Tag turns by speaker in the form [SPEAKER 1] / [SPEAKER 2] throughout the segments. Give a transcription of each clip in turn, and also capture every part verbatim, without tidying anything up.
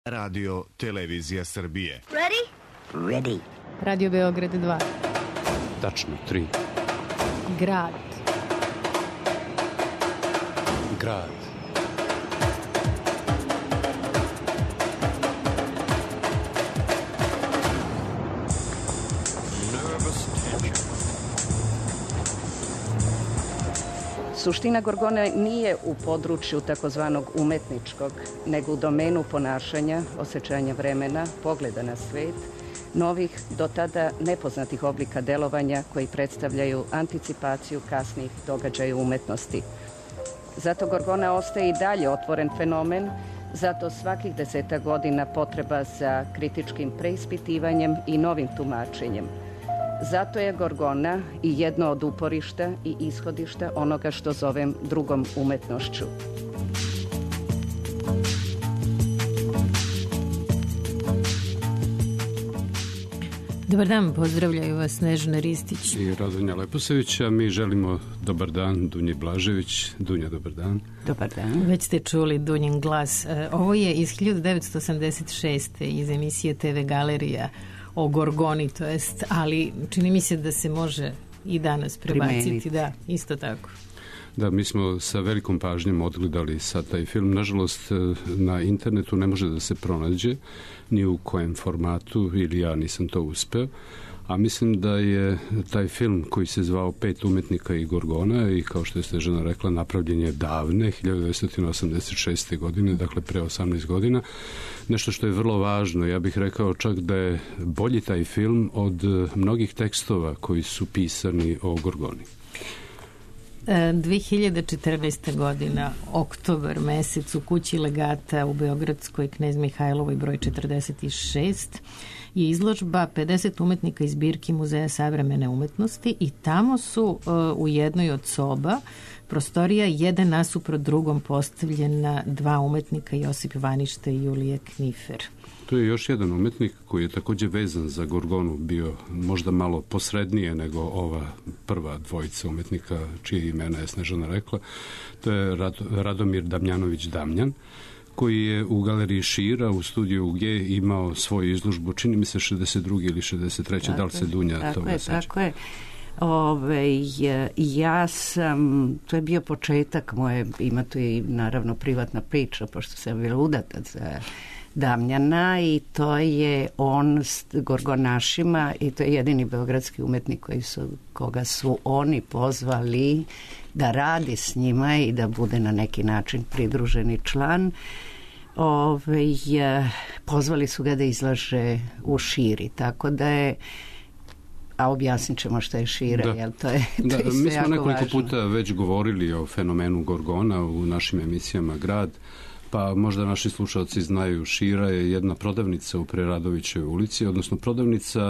[SPEAKER 1] Radio Televizija Srbije.
[SPEAKER 2] Ready?
[SPEAKER 3] Ready.
[SPEAKER 4] Radio Beograd dva.
[SPEAKER 5] Tačno tri.
[SPEAKER 4] Grad.
[SPEAKER 5] Grad.
[SPEAKER 3] Suština Gorgone nije u području takozvanog umetničkog, nego u domenu ponašanja, osjećanja vremena, pogleda na svet, novih, do tada nepoznatih oblika delovanja koji predstavljaju anticipaciju kasnih događaja umetnosti. Zato Gorgona ostaje i dalje otvoren fenomen, zato svakih deseta godina potreba za kritičkim preispitivanjem i novim tumačenjem. Zato je Gorgona i jedno od uporišta i ishodišta onoga što zovem drugom umetnošću.
[SPEAKER 4] Dobar dan, pozdravljaju vas Snežana Ristić
[SPEAKER 5] i Radonja Leposević, a mi želimo dobar dan Dunji Blažević. Dunja, dobar dan.
[SPEAKER 3] Dobar dan.
[SPEAKER 4] Već ste čuli Dunjin glas. Ovo je iz hiljadu devetsto osamdeset šeste iz emisije te ve Galerija o Gorgoni, to jest, ali čini mi se da se može i danas prebaciti. Primeniti. Da, isto tako.
[SPEAKER 5] Da, mi smo sa velikom pažnjom odgledali sad taj film. Nažalost, na internetu ne može da se pronađe ni u kojem formatu, ili ja nisam to uspeo. A mislim da je taj film koji se zvao Pet umetnika i Gorgona i kao što je Snežana rekla, napravljen je davne, hiljadu devetsto osamdeset šeste. godine, dakle pre osamnaest godina. Nešto što je vrlo važno, ja bih rekao čak da je bolji taj film od mnogih tekstova koji su pisani o Gorgoni.
[SPEAKER 4] dve hiljade četrnaeste. godina, oktobar mesec, u kući Legata u Beogradskoj Knez Mihajlovoj broj četrdeset šest je izložba pedeset umetnika iz zbirki Muzeja savremene umetnosti i tamo su uh, u jednoj od soba prostorija jedan nasuprot drugom postavljena dva umetnika, Josip Vaništa i Julije Knifer.
[SPEAKER 5] To je još jedan umetnik koji je također vezan za Gorgonu, bio možda malo posrednije nego ova prva dvojica umetnika čije imena je Snežana rekla. To je Radomir Damjanović Damjan, koji je u galeriji Šira u studiju G imao svoju izložbu, čini mi se šezdeset druge ili šezdeset treće Da li se Dunja
[SPEAKER 3] tako
[SPEAKER 5] toga
[SPEAKER 3] je,
[SPEAKER 5] seća?
[SPEAKER 3] Tako je. Ove, ja sam, to je bio početak moje, ima tu i naravno privatna priča, pošto sam bila udata za Damjana i to je on s Gorgonašima i to je jedini beogradski umetnik koji su, koga su oni pozvali da radi s njima i da bude na neki način pridruženi član. Ove, pozvali su ga da izlaže u Širi, tako da je, a objasnit ćemo što je Šira,
[SPEAKER 5] da.
[SPEAKER 3] Jel, to je, to
[SPEAKER 5] da,
[SPEAKER 3] je
[SPEAKER 5] mi smo nekoliko
[SPEAKER 3] važno.
[SPEAKER 5] puta već govorili o fenomenu Gorgona u našim emisijama Grad, pa možda naši slušalci znaju, Šira je jedna prodavnica u Preradovićevoj ulici, odnosno prodavnica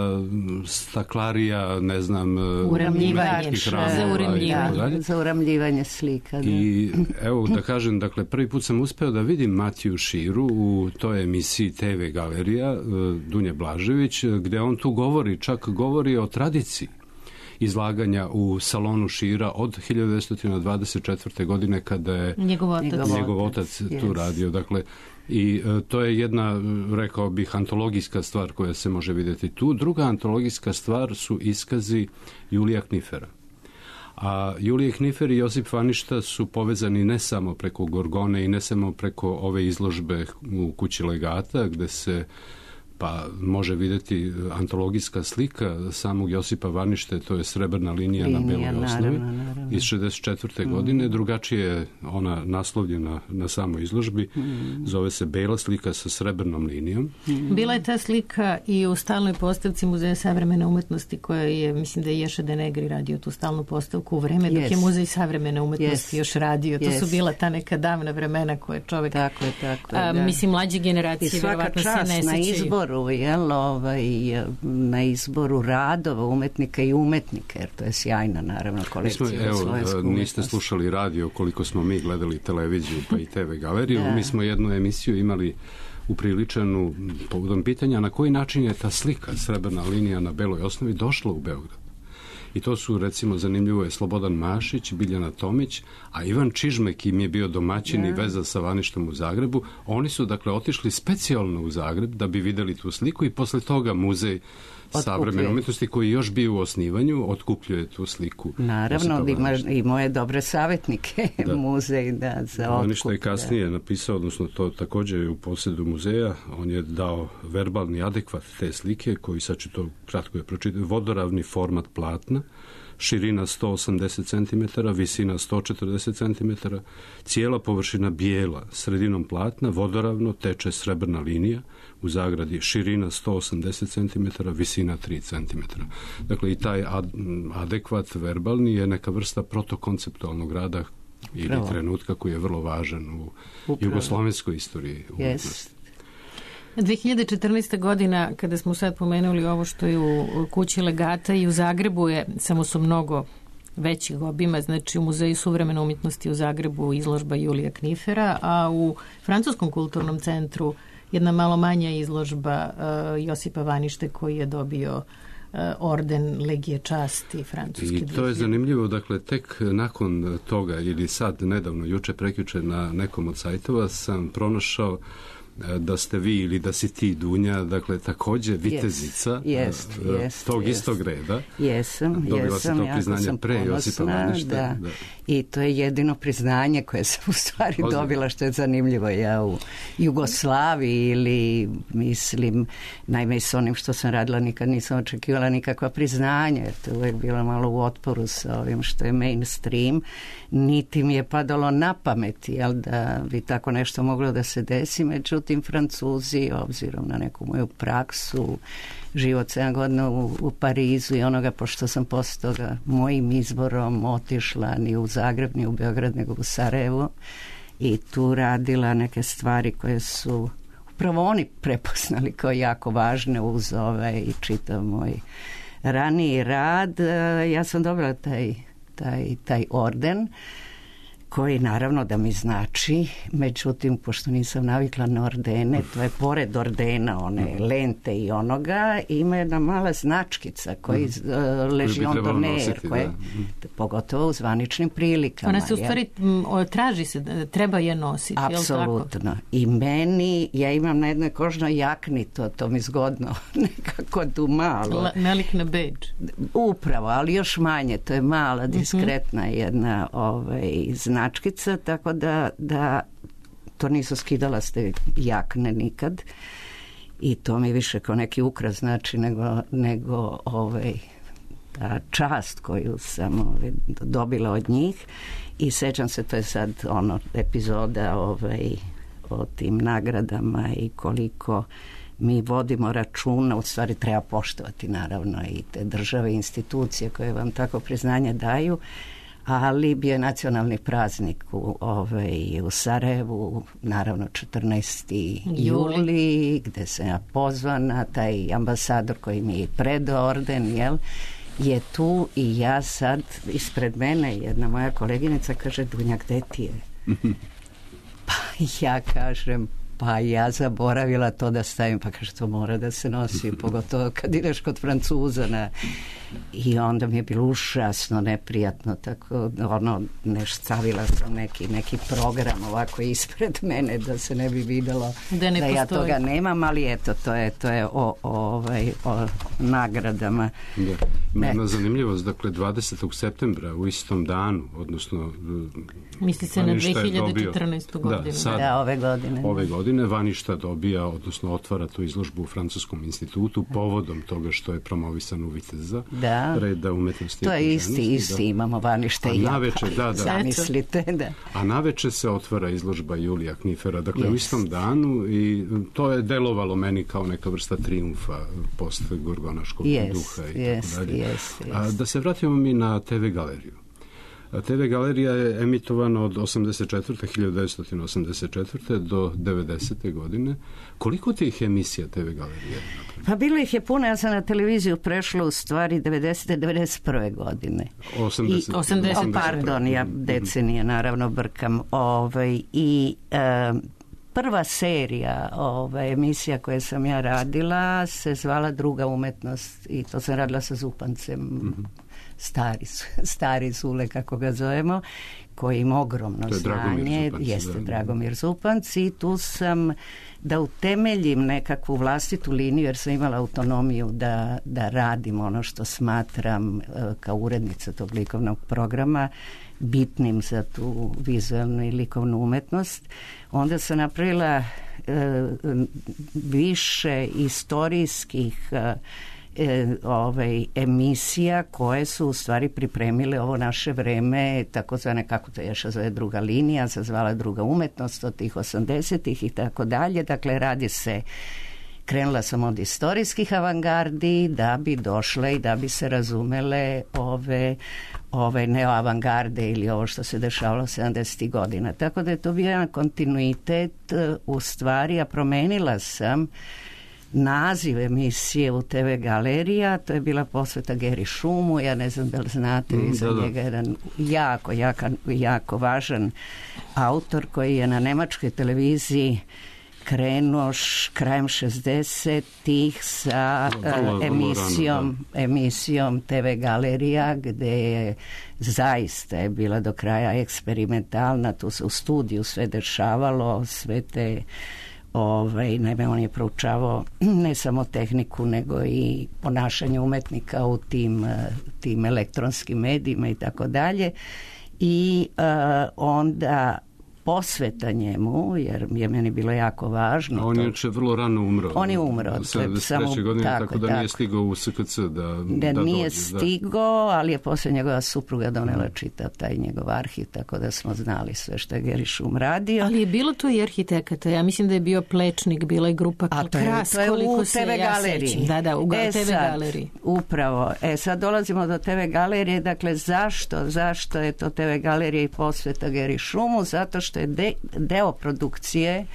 [SPEAKER 5] staklarija, ne znam,
[SPEAKER 4] uramljivanje, za uramljivanje,
[SPEAKER 3] za uramljivanje slika. Da.
[SPEAKER 5] I evo da kažem, dakle, prvi put sam uspeo da vidim Matiju Širu u toj emisiji te ve Galerija Dunje Blažević, gde on tu govori, čak govori o tradiciji izlaganja u salonu Šira od hiljadu devetsto dvadeset četvrte. godine kada je
[SPEAKER 4] njegov otac,
[SPEAKER 5] njegov otac tu
[SPEAKER 3] yes.
[SPEAKER 5] radio. Dakle, i e, to je jedna, rekao bih, antologijska stvar koja se može vidjeti tu. Druga antologijska stvar su iskazi Julija Knifera. A Julije Knifer i Josip Vaništa su povezani ne samo preko Gorgone i ne samo preko ove izložbe u kući Legata, gde se pa može vidjeti antologijska slika samog Josipa Vanište, to je srebrna linija, linija na beloj osnovi,
[SPEAKER 3] naravno, naravno.
[SPEAKER 5] iz šezdeset četvrte.
[SPEAKER 3] Mm.
[SPEAKER 5] godine. Drugačije je ona naslovljena na samoj izložbi. Mm. Zove se bela slika sa srebrnom linijom.
[SPEAKER 4] Mm. Bila je ta slika i u stalnoj postavci Muzeja savremene umetnosti, koja je, mislim da je Ješa Denegri radio tu stalnu postavku u vreme dok yes. je Muzej savremene umetnosti yes. još radio. To yes. su bila ta neka davna vremena koje čovjek,
[SPEAKER 3] tako je, tako je,
[SPEAKER 4] a,
[SPEAKER 3] da.
[SPEAKER 4] mislim, mlađe generacije verovatno se ne sećaju.
[SPEAKER 3] Na izboru, jel, ovaj, na izboru radova umetnika i umetnika, jer to je sjajna, naravno, kolekcija.
[SPEAKER 5] Mi smo, evo, niste slušali radio koliko smo mi gledali televiziju pa i te ve Galeriju. Da. Mi smo jednu emisiju imali upriličenu povodom pitanja na koji način je ta slika, srebrna linija na beloj osnovi, došla u Beograd. I to su, recimo, zanimljivo je Slobodan Mašić, Biljana Tomić, a Ivan Čižmek im je bio domaćin i veza sa Vaništom u Zagrebu. Oni su, dakle, otišli specijalno u Zagreb da bi videli tu sliku i posle toga muzej savremene umjetnosti koji još bio u osnivanju otkupljuje tu sliku.
[SPEAKER 3] Naravno, ima i moje dobre savjetnike da. Muzej da, za otkup. Vaništa
[SPEAKER 5] je kasnije napisao, odnosno to također je u posjedu muzeja, on je dao verbalni adekvat te slike koji, sad ću to kratko je pročitati, vodoravni format platna, širina sto osamdeset centimetara, visina sto četrdeset centimetara, cijela površina bijela, sredinom platna, vodoravno teče srebrna linija, u zagradi širina sto osamdeset centimetara, visina tri centimetra. Dakle, i taj ad, adekvat verbalni je neka vrsta protokonceptualnog rada ili Pravo. trenutka koji je vrlo važan u Upravo. jugoslovenskoj istoriji.
[SPEAKER 3] Yes.
[SPEAKER 4] dve hiljade četrnaeste. godina, kada smo sad pomenuli ovo što je u kući Legata i u Zagrebu je, samo su mnogo većih obima, znači u Muzeju suvremene umjetnosti u Zagrebu izložba Julija Knifera, a u Francuskom kulturnom centru jedna malo manja izložba uh, Josipa Vanište koji je dobio uh, orden Legije časti francuske.
[SPEAKER 5] I to je zanimljivo, dakle, tek nakon toga ili sad, nedavno, juče, prekjuče na nekom od sajtova sam pronašao da ste vi ili da si ti, Dunja, dakle, također vitezica
[SPEAKER 3] yes, yes, yes,
[SPEAKER 5] tog
[SPEAKER 3] yes.
[SPEAKER 5] istog reda.
[SPEAKER 3] Jesam,
[SPEAKER 5] Dobila
[SPEAKER 3] jesam,
[SPEAKER 5] si to priznanje
[SPEAKER 3] sam
[SPEAKER 5] pre Josipa Vaništa.
[SPEAKER 3] Da. Da. I to je jedino priznanje koje sam u stvari Ozim. dobila, što je zanimljivo. Ja u Jugoslaviji ili, mislim, naime s onim što sam radila nikad nisam očekivala nikakva priznanja, jer to je uvijek bilo malo u otporu sa ovim što je mainstream. Niti mi je padalo na pamet, jel, da bi tako nešto moglo da se desi, međutim tim Francuzi, obzirom na neku moju praksu, život sedam godina u, u Parizu i onoga, pošto sam posle toga mojim izborom otišla ni u Zagreb, ni u Beograd, nego u Sarajevo i tu radila neke stvari koje su upravo oni prepoznali kao jako važne uz ovaj i čitav moj raniji rad. Ja sam dobila taj, taj, taj orden koji naravno da mi znači, međutim, pošto nisam navikla na ordene, to je pored ordena, one lente i onoga, ima jedna mala značkica koji mm. uh, leži on doner, koje, pogotovo u zvaničnim prilikama.
[SPEAKER 4] Ona se u stvari ja. traži se, treba je nositi.
[SPEAKER 3] Apsolutno. I meni, ja imam na jednoj kožnoj jakni, to, to mi zgodno nekako tu malo.
[SPEAKER 4] La, nalik na bedž.
[SPEAKER 3] Upravo, ali još manje, to je mala, diskretna mm-hmm. jedna ovaj, značkica. Značkica, tako da, da to nisu skidala s te jakne nikad i to mi više kao neki ukras znači nego, nego ovaj, ta čast koju sam ovaj, dobila od njih i sećam se, to je sad ono epizoda ovaj, o tim nagradama i koliko mi vodimo računa, u stvari treba poštovati naravno i te države i institucije koje vam tako priznanje daju, ali bio je nacionalni praznik u, ovaj, u Sarajevu, naravno četrnaesti juli, gde sam ja pozvana, taj ambasador koji mi je predao orden, jel, je tu i ja sad, ispred mene jedna moja koleginica kaže, Dunja, gde ti je? Pa ja kažem, pa ja zaboravila to da stavim, pa kaže, to mora da se nosi, pogotovo kad ideš kod Francuza na... I onda mi je bilo užasno neprijatno, tako ono, neš stavila sam neki, neki program ovako ispred mene da se ne bi videlo da, ne da ja toga nemam, ali eto, to je, to je o, o, ovaj, o nagradama.
[SPEAKER 5] Da. Jedna zanimljivost, dakle, dvadesetog septembra u istom danu, odnosno
[SPEAKER 4] misli se na dve hiljade četrnaestu. godinu.
[SPEAKER 3] Da, sad, da, ove godine.
[SPEAKER 5] Ove godine Vaništa dobija, odnosno otvara tu izložbu u Francuskom institutu povodom toga što je promovisan u Viteza.
[SPEAKER 3] Da.
[SPEAKER 5] Reda umetnosti.
[SPEAKER 3] To je isti, isti, da. Imamo Vanište i ja.
[SPEAKER 5] Naveče, da, da.
[SPEAKER 3] Zamislite, da.
[SPEAKER 5] A naveče se otvara izložba Julija Knifera, dakle yes. u istom danu i to je delovalo meni kao neka vrsta triumfa post gorgonaškog
[SPEAKER 3] yes,
[SPEAKER 5] duha i
[SPEAKER 3] yes,
[SPEAKER 5] tako dalje.
[SPEAKER 3] Yes, yes.
[SPEAKER 5] A da se vratimo mi na te ve galeriju. te ve galerija je emitovana od osamdeset četvrte. hiljadu devetsto osamdeset četvrte. do devedesete. godine. Koliko tih emisija te ve galerije?
[SPEAKER 3] Pa bilo ih je puno, ja sam na televiziju prešla u stvari devedesete. devedeset prve. godine.
[SPEAKER 5] osamdeset.
[SPEAKER 3] I, osamdeset. Pardon, ja decenije naravno brkam. Ovaj, I e, prva serija ovaj, emisija koje sam ja radila se zvala Druga umetnost i to sam radila sa Zupancem. Mm-hmm. stari, stari Zule, kako ga zovemo, koji ima ogromno znanje, jeste da. Dragomir Zupanc, i tu sam da utemeljim nekakvu vlastitu liniju, jer sam imala autonomiju da, da radim ono što smatram kao urednica tog likovnog programa bitnim za tu vizualnu i likovnu umetnost. Onda sam napravila e, više istorijskih e, E, ovaj, emisija koje su u stvari pripremile ovo naše vreme, takozvane, kako to još zove, druga linija, zazvala druga umetnost od tih osamdesetih i tako dalje. Dakle, radi se, krenula sam od istorijskih avangardi da bi došle i da bi se razumele ove, ove neoavangarde ili ovo što se dešavalo sedamdesetih godina. Tako da je to bio jedan kontinuitet u stvari, a promenila sam naziv emisije u te ve Galerija, to je bila posveta Geri Šumu, ja ne znam da li znate, mm, za da, njega da. jedan jako, jako, jako važan autor koji je na nemačkoj televiziji krenuo š, krajem šezdesetih sa vrlo, uh, emisijom, vrlo rano, emisijom te ve Galerija, gde je zaista je bila do kraja eksperimentalna, tu se u studiju sve dešavalo, sve te Ovaj, naime, on je proučavao ne samo tehniku, nego i ponašanje umetnika u tim, tim elektronskim medijima i tako dalje. I uh, onda posveta njemu, jer je meni bilo jako važno.
[SPEAKER 5] A on je to... vrlo rano umro.
[SPEAKER 3] On je umro.
[SPEAKER 5] sedamdeset godine, tako, tako da tako. Nije stigao u es ka ce da,
[SPEAKER 3] da, da nije dođe, stigao, da. Ali je poslije njegova supruga donela čitav taj njegov arhiv, tako da smo znali sve što je Geri Šum radio.
[SPEAKER 4] Ali je bilo tu i arhitekata. Ja mislim da je bio Plečnik, bila je grupa
[SPEAKER 3] A to je,
[SPEAKER 4] Kras,
[SPEAKER 3] to je u te ve Galeriji.
[SPEAKER 4] Ja da, da, u e, te ve Galeriji.
[SPEAKER 3] Upravo. E, sad dolazimo do te ve Galerije. Dakle, zašto? Zašto je to te ve Galerija i posveta Geri Šumu? Zato što je de, deo produkcije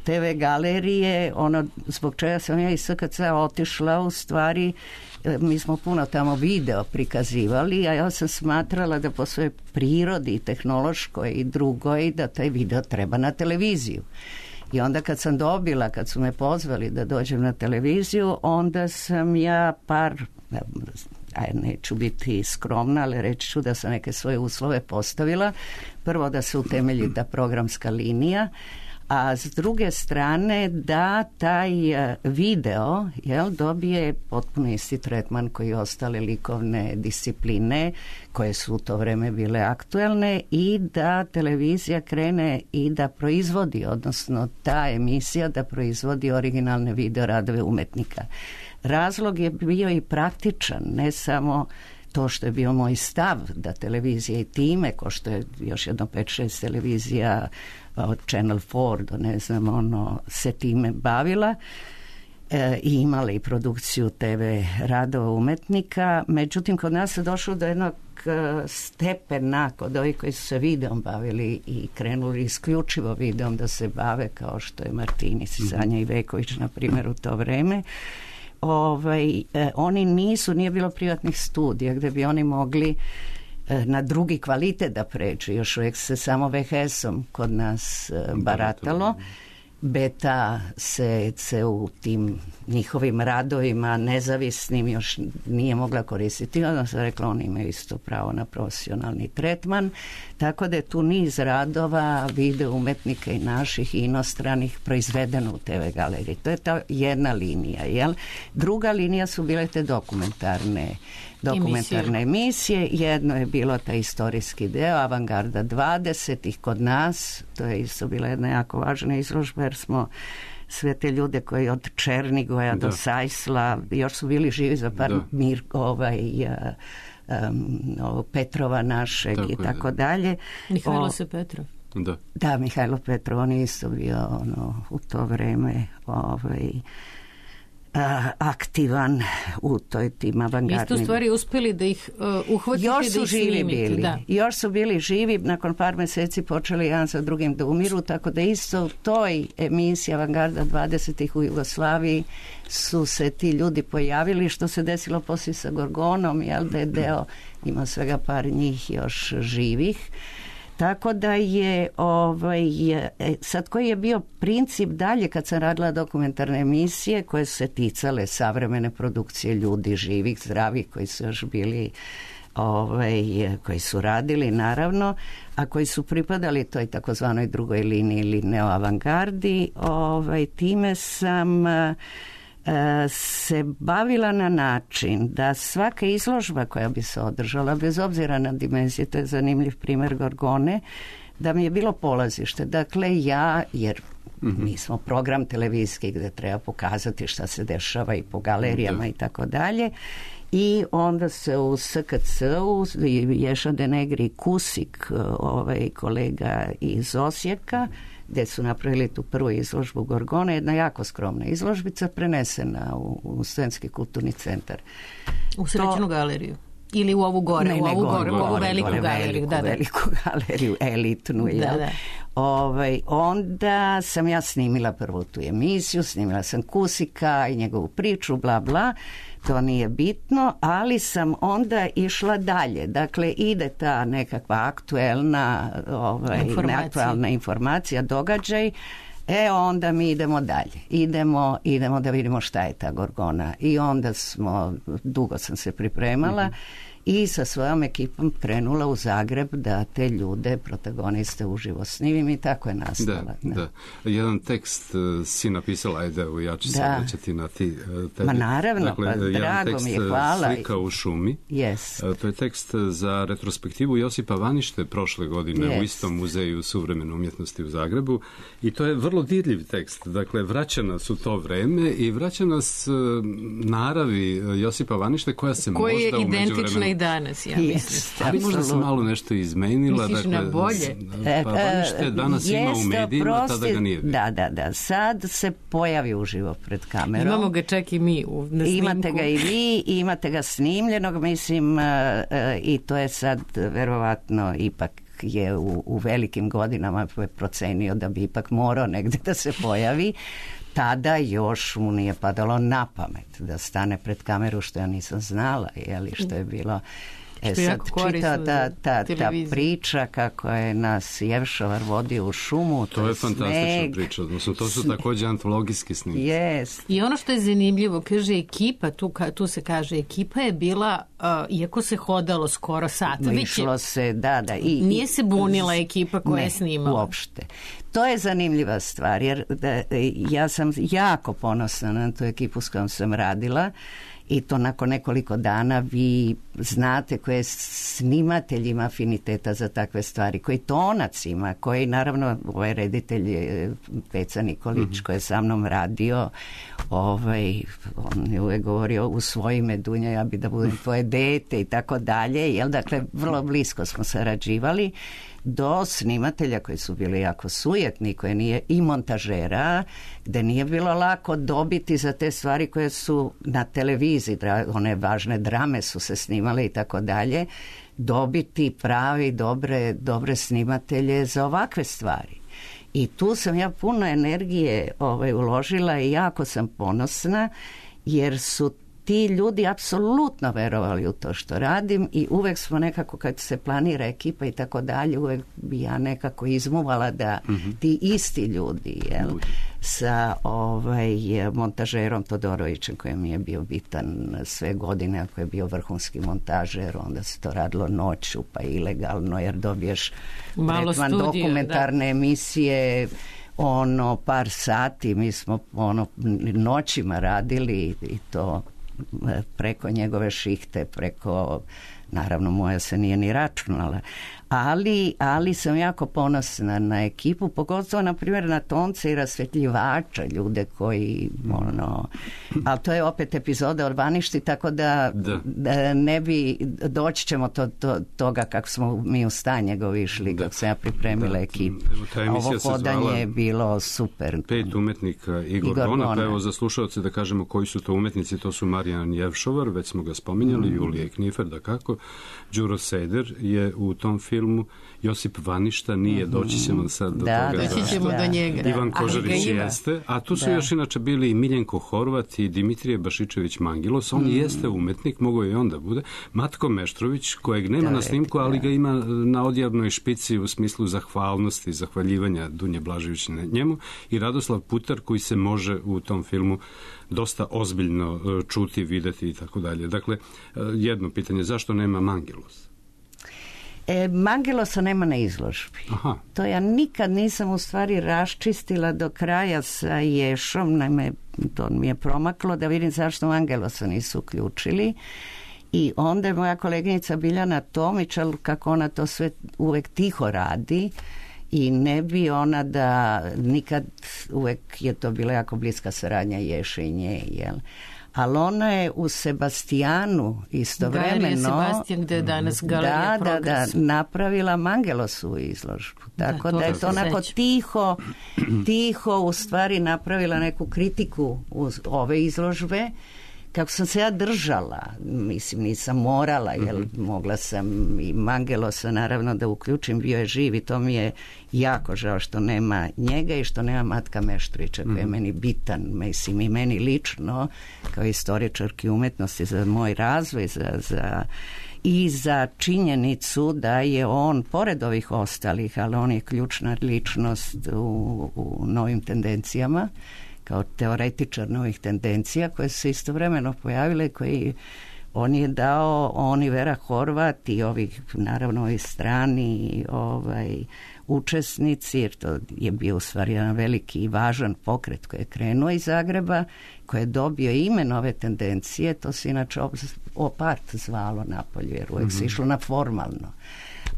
[SPEAKER 3] te ve Galerije, ono zbog čega sam ja iz es ka ce otišla, u stvari mi smo puno tamo video prikazivali, a ja sam smatrala da po svojoj prirodi, tehnološkoj i drugoj, da taj video treba na televiziju. I onda kad sam dobila, kad su me pozvali da dođem na televiziju, onda sam ja par, aj neću biti skromna, ali reći ću da sam neke svoje uslove postavila. Prvo da se utemelji ta programska linija, a s druge strane da taj video jel, dobije potpuno isti tretman koji i ostale likovne discipline koje su u to vreme bile aktuelne i da televizija krene i da proizvodi, odnosno ta emisija da proizvodi originalne video radove umetnika. Razlog je bio i praktičan, ne samo to što je bio moj stav da televizija i time, ko što je još jedno pet šest televizija od Channel četiri do ne znam ono se time bavila e, i imala i produkciju te ve radova umetnika. Međutim, kod nas je došlo do jednog stepena kod ovih koji su se videom bavili i krenuli isključivo videom da se bave, kao što je Martinis i Sanja Iveković na primjer u to vreme. Ovaj, eh, oni nisu, nije bilo privatnih studija gde bi oni mogli eh, na drugi kvalitet da pređu. Još uvijek se samo ve ha esom kod nas eh, baratalo. Beta se, se u tim njihovim radovima nezavisnim još nije mogla koristiti. Onda sam rekla, oni imaju isto pravo na profesionalni tretman. Tako da je tu niz radova video umetnika i naših i inostranih proizvedeno u te ve Galeriji. To je ta jedna linija. Jel? Druga linija su bile te dokumentarne dokumentarne emisije. emisije. Jedno je bilo taj istorijski deo Avangarda dvadesetih kod nas. To je isto bila jedna jako važna izložba jer smo sve te ljude koji od Černigoja da. do Sajsla još su bili živi za par mir, ovaj, um, Petrova našeg tako i tako je. dalje.
[SPEAKER 4] Mihajlo se Petrov.
[SPEAKER 5] Da.
[SPEAKER 3] da, Mihajlo Petrov, on je isto bio ono, u to vreme ovaj, aktivan u toj tim avangardnim.
[SPEAKER 4] Vi ste u stvari uspeli da ih uh, uhvatite
[SPEAKER 3] još
[SPEAKER 4] da
[SPEAKER 3] su
[SPEAKER 4] ih
[SPEAKER 3] živi
[SPEAKER 4] snimite.
[SPEAKER 3] Bili.
[SPEAKER 4] Da.
[SPEAKER 3] Još su bili živi, nakon par meseci počeli jedan za drugim da umiru, tako da isto u toj emisiji Avangarda dvadesetih u Jugoslaviji su se ti ljudi pojavili, što se desilo poslije sa Gorgonom, jel da je deo, ima svega par njih još živih. Tako da je, ovaj, sad koji je bio princip dalje kad sam radila dokumentarne emisije koje su se ticale savremene produkcije ljudi živih, zdravih, koji su još bili ovaj, koji su radili naravno, a koji su pripadali toj takozvanoj drugoj liniji ili neoavangardi. Ovaj, time sam uh, se bavila na način da svaka izložba koja bi se održala, bez obzira na dimenzije, to je zanimljiv primjer Gorgone, da mi je bilo polazište. Dakle, ja, jer mm-hmm. mi smo program televizijski gdje treba pokazati šta se dešava i po galerijama i tako dalje, i onda se u S K C-u Ješa Denegri Kusik, ovaj kolega iz Osijeka, gdje su napravili tu prvu izložbu Gorgone, jedna jako skromna izložbica prenesena u, u Sremski kulturni centar.
[SPEAKER 4] U Srećnu to, galeriju? Ili u ovu gore,
[SPEAKER 3] ne,
[SPEAKER 4] u ovu
[SPEAKER 3] gore,
[SPEAKER 4] gore,
[SPEAKER 3] gore,
[SPEAKER 4] u ovu veliku
[SPEAKER 3] gore,
[SPEAKER 4] galeriju.
[SPEAKER 3] Veliku,
[SPEAKER 4] da, da.
[SPEAKER 3] veliku galeriju, elitnu.
[SPEAKER 4] Da,
[SPEAKER 3] ja.
[SPEAKER 4] da.
[SPEAKER 3] Ovaj, onda sam ja snimila prvu tu emisiju, snimila sam Kusika i njegovu priču, bla, bla. To nije bitno, ali sam onda išla dalje. Dakle, ide ta nekakva aktuelna, ovaj,
[SPEAKER 4] informacija.
[SPEAKER 3] neaktualna informacija, događaj. E, onda mi idemo dalje. Idemo, idemo da vidimo šta je ta Gorgona. I onda smo, dugo sam se pripremala, mm-hmm. i sa svojom ekipom krenula u Zagreb da te ljude, protagoniste, uživo snimim i tako je nastala.
[SPEAKER 5] Da, da. da. Jedan tekst uh, si napisala, ajde, u ja ću
[SPEAKER 3] da.
[SPEAKER 5] sad reći na ti uh, tebi.
[SPEAKER 3] Ma naravno,
[SPEAKER 5] dakle,
[SPEAKER 3] pa drago
[SPEAKER 5] tekst,
[SPEAKER 3] mi je, hvala.
[SPEAKER 5] Slika u šumi.
[SPEAKER 3] Yes.
[SPEAKER 5] Uh, to je tekst za retrospektivu Josipa Vanište prošle godine
[SPEAKER 3] yes.
[SPEAKER 5] u istom muzeju suvremene umjetnosti u Zagrebu, i to je vrlo dirljiv tekst. Dakle, vraća nas u to vreme i vraća nas uh, naravi Josipa Vanište koja se
[SPEAKER 4] Koji
[SPEAKER 5] možda u međuvremenu...
[SPEAKER 4] Koji je identična i danas, ja
[SPEAKER 3] yes,
[SPEAKER 4] mislim.
[SPEAKER 5] Ali možda se malo nešto izmenila.
[SPEAKER 4] Misliš
[SPEAKER 5] dakle,
[SPEAKER 4] na bolje?
[SPEAKER 5] Pa Vanište danas
[SPEAKER 3] Jeste,
[SPEAKER 5] ima u medijima,
[SPEAKER 3] prosti,
[SPEAKER 5] tada ga nije bilo.
[SPEAKER 3] Da, da, da. Sad se pojavi uživo pred kamerom.
[SPEAKER 4] Imamo ga čak i mi u, na snimku.
[SPEAKER 3] Imate ga i vi, imate ga snimljenog, mislim, uh, uh, i to je sad verovatno ipak je u, u velikim godinama procenio da bi ipak morao negdje da se pojavi. Tada još mu nije padalo na pamet da stane pred kameru, što ja nisam znala, jeli, što je bilo... E sad čita ta, ta, ta priča kako je nas Jevšovar vodio u šumu.
[SPEAKER 5] To, to je fantastična priča. Odnosno, to su također antologijski snimci.
[SPEAKER 3] Yes.
[SPEAKER 4] I ono što je zanimljivo, kaže ekipa, tu, tu se kaže ekipa je bila, uh, iako se hodalo skoro sat.
[SPEAKER 3] Išlo se, da, da. I,
[SPEAKER 4] nije se bunila ekipa koja
[SPEAKER 3] ne,
[SPEAKER 4] je snimala.
[SPEAKER 3] Uopšte. To je zanimljiva stvar, jer da, ja sam jako ponosna na tu ekipu s kojom sam radila. I to nakon nekoliko dana vi znate koje snimatelj ima afiniteta za takve stvari, koji tonac ima, koji naravno ovaj reditelj Peca Nikolić mm-hmm. koji je sa mnom radio, ovaj, on je uvijek govorio u svoje ime Dunja, ja bi da budem tvoje dete i tako dalje, jel, dakle vrlo blisko smo sarađivali, do snimatelja koji su bili jako sujetni, koje nije, i montažera, gde nije bilo lako dobiti za te stvari koje su na televiziji, one važne drame su se snimale i tako dalje, dobiti pravi, dobre, dobre snimatelje za ovakve stvari. I tu sam ja puno energije ovaj, uložila i jako sam ponosna, jer su ti ljudi apsolutno verovali u to što radim i uvek smo nekako, kad se planira ekipa i tako dalje, uvek bi ja nekako izmuvala da mm-hmm. ti isti ljudi, jel, sa ovaj, montažerom Todorovićem, koji mi je bio bitan sve godine, ako je bio vrhunski montažer, onda se to radilo noću, pa ilegalno, jer dobiješ
[SPEAKER 4] malo
[SPEAKER 3] tretman
[SPEAKER 4] studio,
[SPEAKER 3] dokumentarne
[SPEAKER 4] da.
[SPEAKER 3] emisije, ono, par sati, mi smo ono noćima radili i to preko njegove šihte, preko, naravno moja se nije ni računala, ali, ali sam jako ponosna na ekipu, pogotovo na primjer na tonce i rasvjetljivača, ljude koji ono, ali to je opet epizoda o Vaništi, tako da,
[SPEAKER 5] da.
[SPEAKER 3] da ne bi, doći ćemo to, to, toga kako smo mi u stan njegov išli, kako sam ja pripremila da. ekipu.
[SPEAKER 5] Evo,
[SPEAKER 3] ovo hodanje je bilo super.
[SPEAKER 5] Pet umetnika i Gorgona, pa evo za slušalce da kažemo koji su to umetnici, to su Marijan Jevšovar, već smo ga spominjali, mm. Julije Knifer, da kako, Đuro Seder je u tom filmu filmu. Josip Vaništa nije, doći ćemo sad do
[SPEAKER 3] da,
[SPEAKER 5] toga.
[SPEAKER 4] Doći ćemo do njega.
[SPEAKER 5] Ivan Kožarić jeste, a tu su
[SPEAKER 3] da.
[SPEAKER 5] još inače bili i Miljenko Horvat i Dimitrije Bašičević Mangilos. On mm. jeste umetnik, mogo i onda bude. Matko Meštrović, kojeg nema da, na snimku, ali ga ima na odjavnoj špici u smislu zahvalnosti i zahvaljivanja Dunje Blažević na njemu, i Radoslav Putar, koji se može u tom filmu dosta ozbiljno čuti, videti i tako dalje. Dakle, jedno pitanje, zašto nema Mangilos?
[SPEAKER 3] E, Mangilosa nema na izložbi.
[SPEAKER 5] Aha.
[SPEAKER 3] To ja nikad nisam u stvari raščistila do kraja sa Ješom, naime to mi je promaklo da vidim zašto Mangilosa nisu uključili. I onda je moja koleginica Biljana Tomić, ali kako ona to sve uvek tiho radi, i ne bi ona da nikad, uvek je to bila jako bliska saradnja Ješe i nje, jel? Ali ona je u Sebastijanu istovremeno
[SPEAKER 4] Galerija Sebastijan, gde je danas Galerija
[SPEAKER 3] da, da, da,
[SPEAKER 4] Progres.
[SPEAKER 3] napravila Mangelosu izložbu. Tako
[SPEAKER 4] da,
[SPEAKER 3] da, da je to onako
[SPEAKER 4] sećam.
[SPEAKER 3] tiho, tiho u stvari napravila neku kritiku uz ove izložbe. Kako sam se ja držala, mislim nisam morala, jer mm-hmm. mogla sam i Mangelosa naravno da uključim, bio je živ i to mi je jako žao što nema njega i što nema Matka Meštrovića, koji je meni bitan, mislim i meni lično, kao istoričarki umetnosti za moj razvoj, za, za, i za činjenicu da je on, pored ovih ostalih, ali on je ključna ličnost u, u novim tendencijama, kao teoretičar novih tendencija koje su se istovremeno pojavile, koji on je dao, on i Vera Horvat i ovih, naravno ovi strani ovaj, učesnici, jer to je bio u stvari jedan veliki i važan pokret koji je krenuo iz Zagreba, koji je dobio ime nove tendencije, to se inače opart zvalo napolju, jer uvijek mm-hmm. se išlo na formalno.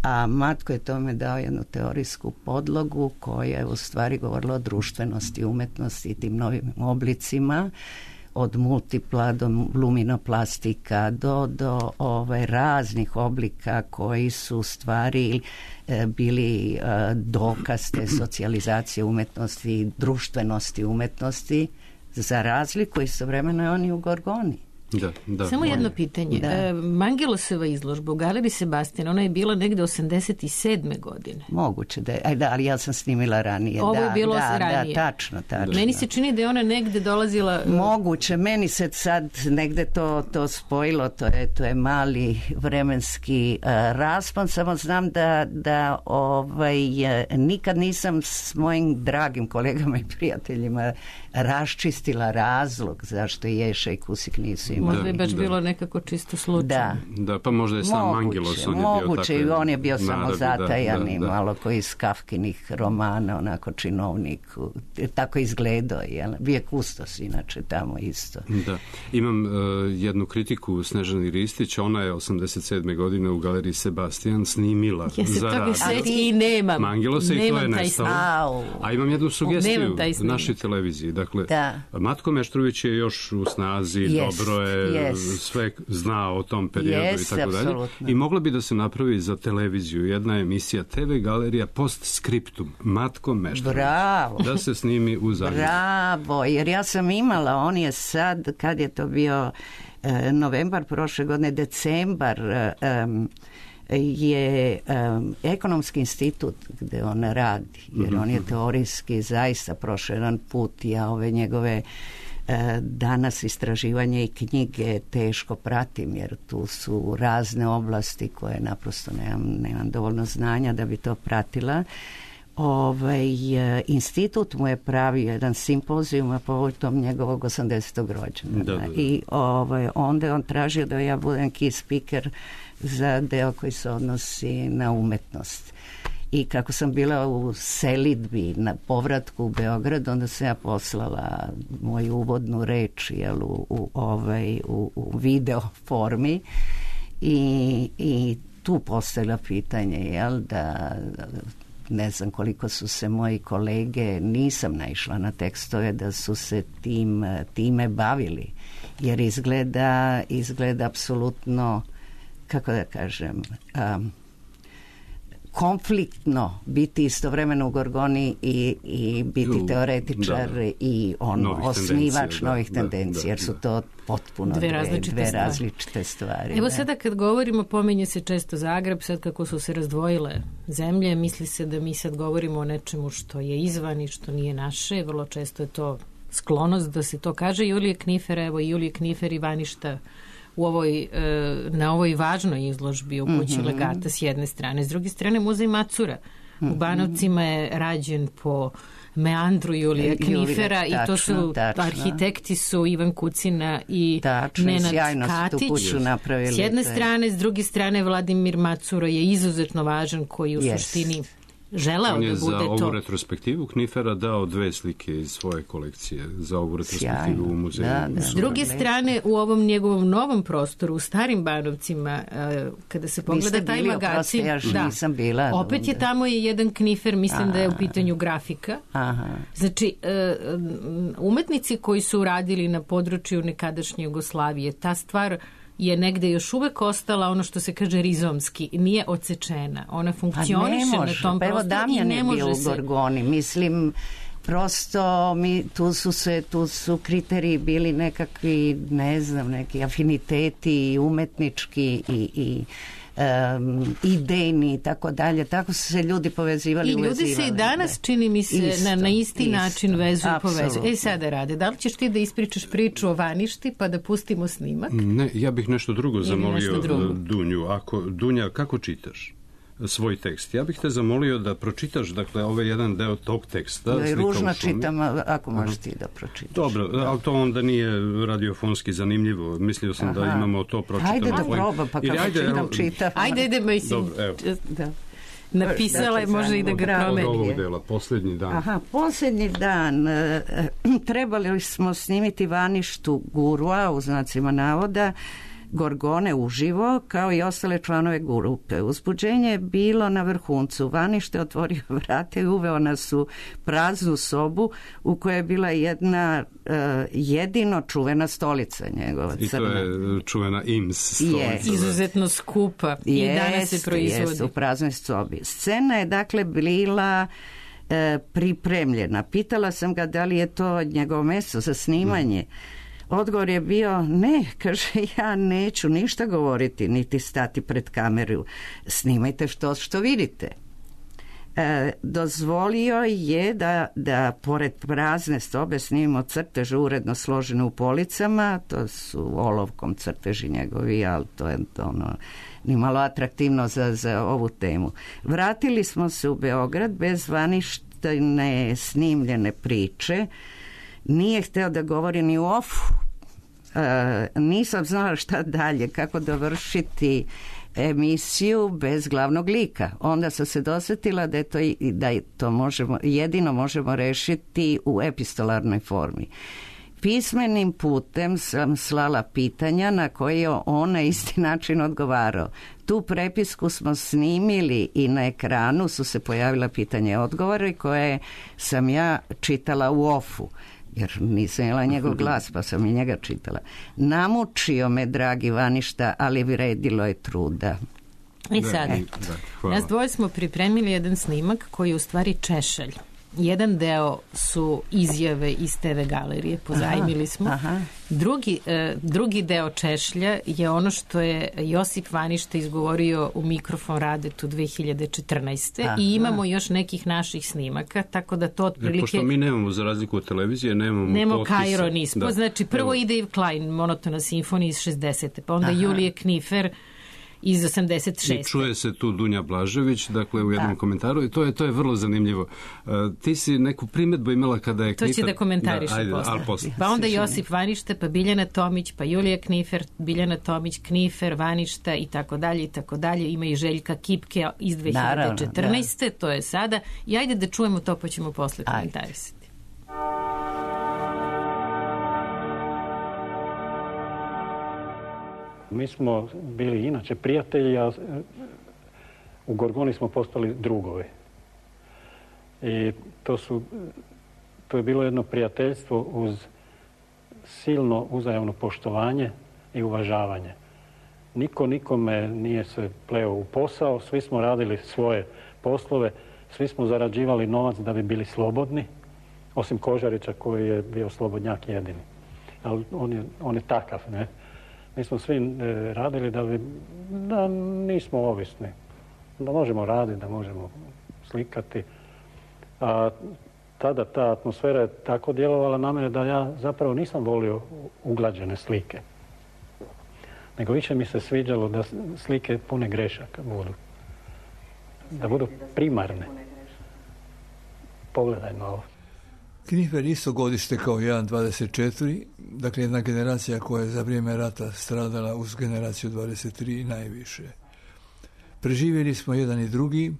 [SPEAKER 3] A Matko je tome dao jednu teorijsku podlogu koja je u stvari govorila o društvenosti, umetnosti i tim novim oblicima, od multipla do luminoplastika do, do ovaj, raznih oblika koji su u stvari e, bili e, dokaz te socijalizacije umetnosti, društvenosti umetnosti, za razliku istovremeno je on i u Gorgoni.
[SPEAKER 5] Da, da,
[SPEAKER 4] Samo jedno pitanje.
[SPEAKER 3] Da.
[SPEAKER 4] Mangilosova izložba u Galeriji Sebastijan, ona je bila negde osamdeset sedme godine.
[SPEAKER 3] Moguće da je, aj da, ali ja sam snimila ranije.
[SPEAKER 4] Ovo je
[SPEAKER 3] da,
[SPEAKER 4] bilo
[SPEAKER 3] da,
[SPEAKER 4] ranije.
[SPEAKER 3] Da, tačno, tačno.
[SPEAKER 4] Meni se čini da je ona negde dolazila...
[SPEAKER 3] Moguće, meni se sad negde to, to spojilo, to je, to je mali vremenski uh, raspon, samo znam da, da ovaj, nikad nisam s mojim dragim kolegama i prijateljima raščistila razlog zašto Ješa i Kusik nisu imali.
[SPEAKER 4] Možda je baš da. bilo nekako čisto slučajno.
[SPEAKER 3] Da.
[SPEAKER 5] Da, pa možda je sam Mangilos, on je
[SPEAKER 3] moguće,
[SPEAKER 5] bio
[SPEAKER 3] tako. On je bio samo zatajan
[SPEAKER 5] da,
[SPEAKER 3] i
[SPEAKER 5] da, da.
[SPEAKER 3] malo koji iz Kafkinih romana, onako činovnik, tako izgledao, jel? Bio je kustos inače tamo isto.
[SPEAKER 5] Da. Imam uh, jednu kritiku Snežani Ristić, ona je osamdeset sedme godine u Galeriji Sebastijan snimila
[SPEAKER 4] ja se
[SPEAKER 5] za
[SPEAKER 4] toga seć i nemam.
[SPEAKER 5] Mangilosa i to je nestalo. A imam jednu sugestiju našoj televiziji. Dakle,
[SPEAKER 3] da.
[SPEAKER 5] Matko Meštrović je još u snazi, yes, dobro je, yes. sve zna o tom periodu yes, i tako dalje. I mogla bi da se napravi za televiziju jedna emisija T V Galerija post-scriptum Matko Meštrović.
[SPEAKER 3] Bravo.
[SPEAKER 5] Da se snimi u Zagrebu.
[SPEAKER 3] Bravo, jer ja sam imala, on je sad, kad je to bio eh, novembar prošle godine, decembar, eh, je um, ekonomski institut gde on radi, jer mm-hmm. on je teorijski zaista prošao jedan put, ja ove njegove uh, danas istraživanje i knjige teško pratim, jer tu su razne oblasti koje naprosto nemam, nemam dovoljno znanja da bi to pratila. Ovaj, institut mu je pravio jedan simpozijum a povodom njegovog osamdesetog rođendana. Da, da, da. I ovaj, onda je on tražio da ja budem key speaker za deo koji se odnosi na umetnost. I kako sam bila u selidbi na povratku u Beograd, onda sam ja poslala moju uvodnu reč jel, u, u, ovaj, u, u video formi i, i tu postavila pitanje jel, da ne znam koliko su se moji kolege, nisam naišla na tekstove da su se tim, time bavili, jer izgleda izgleda apsolutno, kako da kažem, um,
[SPEAKER 2] konfliktno biti istovremeno u Gorgoni i, i biti u, teoretičar da, i on
[SPEAKER 5] novih
[SPEAKER 2] osnivač
[SPEAKER 5] da,
[SPEAKER 2] novih
[SPEAKER 5] da,
[SPEAKER 2] tendencija,
[SPEAKER 5] da,
[SPEAKER 2] jer su to potpuno
[SPEAKER 4] dve,
[SPEAKER 2] dve,
[SPEAKER 4] različite,
[SPEAKER 2] dve
[SPEAKER 4] stvari.
[SPEAKER 2] različite stvari.
[SPEAKER 4] Evo
[SPEAKER 2] da.
[SPEAKER 4] sada kad govorimo, pominje se često Zagreb, sad kako su se razdvojile zemlje, misli se da mi sad govorimo o nečemu što je izvan i što nije naše, vrlo često je to sklonost da se to kaže. Julije Knifer, evo Julije Knifer i Vaništa u ovoj, na ovoj važnoj izložbi u kući mm-hmm. legata s jedne strane. S druge strane, muzej Macura mm-hmm. u Banovcima je rađen po meandru Julija Knifera Julije, i to su, tačno. Arhitekti su Ivan Kucina i
[SPEAKER 2] tačno,
[SPEAKER 4] Nenad Katić. S jedne strane, s druge strane Vladimir Macura je izuzetno važan koji u yes. suštini želeo da bude to.
[SPEAKER 5] On je za ovu retrospektivu Knifera dao dve slike iz svoje kolekcije za ovu retrospektivu u muzeju. Da, da,
[SPEAKER 4] s druge strane, u ovom njegovom novom prostoru, u Starim Banovcima, kada se pogleda taj magazin,
[SPEAKER 2] ja da, nisam bila,
[SPEAKER 4] opet je tamo je jedan Knifer, mislim Aha. da je u pitanju grafika.
[SPEAKER 2] Aha.
[SPEAKER 4] Znači, umetnici koji su radili na području nekadašnje Jugoslavije, ta stvar je negde još uvek ostala ono što se kaže rizomski, nije odsečena. Ona funkcioniše na tom
[SPEAKER 2] pa
[SPEAKER 4] prostoru i ne može se...
[SPEAKER 2] Evo Damjan je bio u Gorgoni, mislim, prosto mi, tu su se, tu su kriteriji bili nekakvi, ne znam, neki afiniteti umetnički i, i Um, idejni i tako dalje, tako su se ljudi povezivali
[SPEAKER 4] i ljudi uvezivali, se i danas čini mi se isto, na, na isti isto, način vezuju i povezuju. E sada Rade, da li ćeš ti da ispričaš priču o Vaništi pa da pustimo snimak?
[SPEAKER 5] Ne, ja bih nešto drugo Ili zamolio nešto drugo. Dunju. Ako, Dunja, kako čitaš svoj tekst? Ja bih te zamolio da pročitaš, dakle, ovaj jedan deo tog teksta.
[SPEAKER 2] Da, ružno čitam, ako možeš ti da pročitaš.
[SPEAKER 5] Dobro, da. Ali to onda nije radiofonski zanimljivo. Mislio sam Aha. da imamo to pročitano.
[SPEAKER 2] Ajde da probam, pa kako čitam, čitam.
[SPEAKER 4] Ajde, ajde, mislim. Dobro, evo. Da. Napisala je, može i da ga promeni.
[SPEAKER 5] Od ovog dela, posljednji dan.
[SPEAKER 2] Aha, posljednji dan. E, trebali smo snimiti Vaništu Gurua, u znacima navoda, Gorgone uživo, kao i ostale članove grupe. Uzbuđenje je bilo na vrhuncu. Vanište otvorio vrate i uveo nas u praznu sobu u kojoj je bila jedna uh, jedino čuvena stolica njegova.
[SPEAKER 5] I
[SPEAKER 2] crna.
[SPEAKER 5] To je čuvena I M S stolica.
[SPEAKER 4] Yes. Izuzetno skupa. I
[SPEAKER 2] jest,
[SPEAKER 4] danas se proizvodi.
[SPEAKER 2] Jest, u praznoj sobi. Scena je dakle bila e, pripremljena. Pitala sam ga da li je to njegovo mesto za snimanje. Mm. Odgovor je bio ne, kaže, ja neću ništa govoriti, niti stati pred kameru. Snimajte što, što vidite. E, dozvolio je da, da pored prazne sobe snimimo crteže uredno složene u policama, to su olovkom crteži njegovi, ali to je ono ni malo atraktivno za, za ovu temu. Vratili smo se u Beograd bez Vaništine snimljene priče. Nije hteo da govori ni u ofu. E, nisam znala šta dalje, kako dovršiti emisiju bez glavnog lika. Onda sam se dosjetila da je to, da je to možemo, jedino možemo rešiti u epistolarnoj formi. Pismenim putem sam slala pitanja na koje je on na isti način odgovarao. Tu prepisku smo snimili i na ekranu su se pojavila pitanja i odgovore koje sam ja čitala u ofu, jer nisam jela njegov glas, pa sam i njega čitala. Namučio me, dragi Vaništa, ali vredilo je truda.
[SPEAKER 4] I sad, nas dvoje smo pripremili jedan snimak koji je u stvari češalj. Jedan deo su izjave iz te ve galerije, pozajmili smo. Aha. Drugi, eh, drugi deo češlja je ono što je Josip Vaništa izgovorio u mikrofon Radetu dve hiljade četrnaeste. Aha. I imamo još nekih naših snimaka, tako da to otprilike...
[SPEAKER 5] E, pošto mi nemamo, za razliku od televizije, nemamo
[SPEAKER 4] Nemo
[SPEAKER 5] potpisa.
[SPEAKER 4] Kairo nismo. Da. Znači, prvo Evo. ide Yves Klein, Monotona simfonija iz šezdesete. Pa onda Aha. Julije Knifer iz osamdeset šeste.
[SPEAKER 5] I čuje se tu Dunja Blažević, dakle u jednom da. komentaru, i to je to je vrlo zanimljivo. Uh, ti si neku primjedbu imala kada je
[SPEAKER 4] to
[SPEAKER 5] Knifer...
[SPEAKER 4] će da komentariš da, posle.
[SPEAKER 5] posle.
[SPEAKER 4] Pa onda Josip Vaništa, pa Biljana Tomić, pa Julija Knifer, Biljana Tomić, Knifer, Vaništa i tako dalje i tako dalje. Ima i Željka Kipke iz dve hiljade četrnaeste. Naravno, to je sada. I ajde da čujemo to, pa ćemo posle komentarisati.
[SPEAKER 6] Mi smo bili inače prijatelji, a u Gorgoni smo postali drugovi. I to su, to je bilo jedno prijateljstvo uz silno uzajamno poštovanje i uvažavanje. niko nikome nije se pleo u posao, svi smo radili svoje poslove, svi smo zarađivali novac da bi bili slobodni, osim Kožarića koji je bio slobodnjak jedini. Ali on je, on je takav, ne? Mi smo svi e, radili da bi, da nismo ovisni, da možemo raditi, da možemo slikati. A tada ta atmosfera je tako djelovala na mene da ja zapravo nisam volio uglađene slike. Nego više mi se sviđalo da slike pune grešaka budu. Da budu primarne. Pogledaj na ovo.
[SPEAKER 7] Knifer isto godište kao jedan dvadeset četiri, dakle jedna generacija koja je za vrijeme rata stradala uz generaciju dvadeset tri najviše. Preživjeli smo jedan i drugi,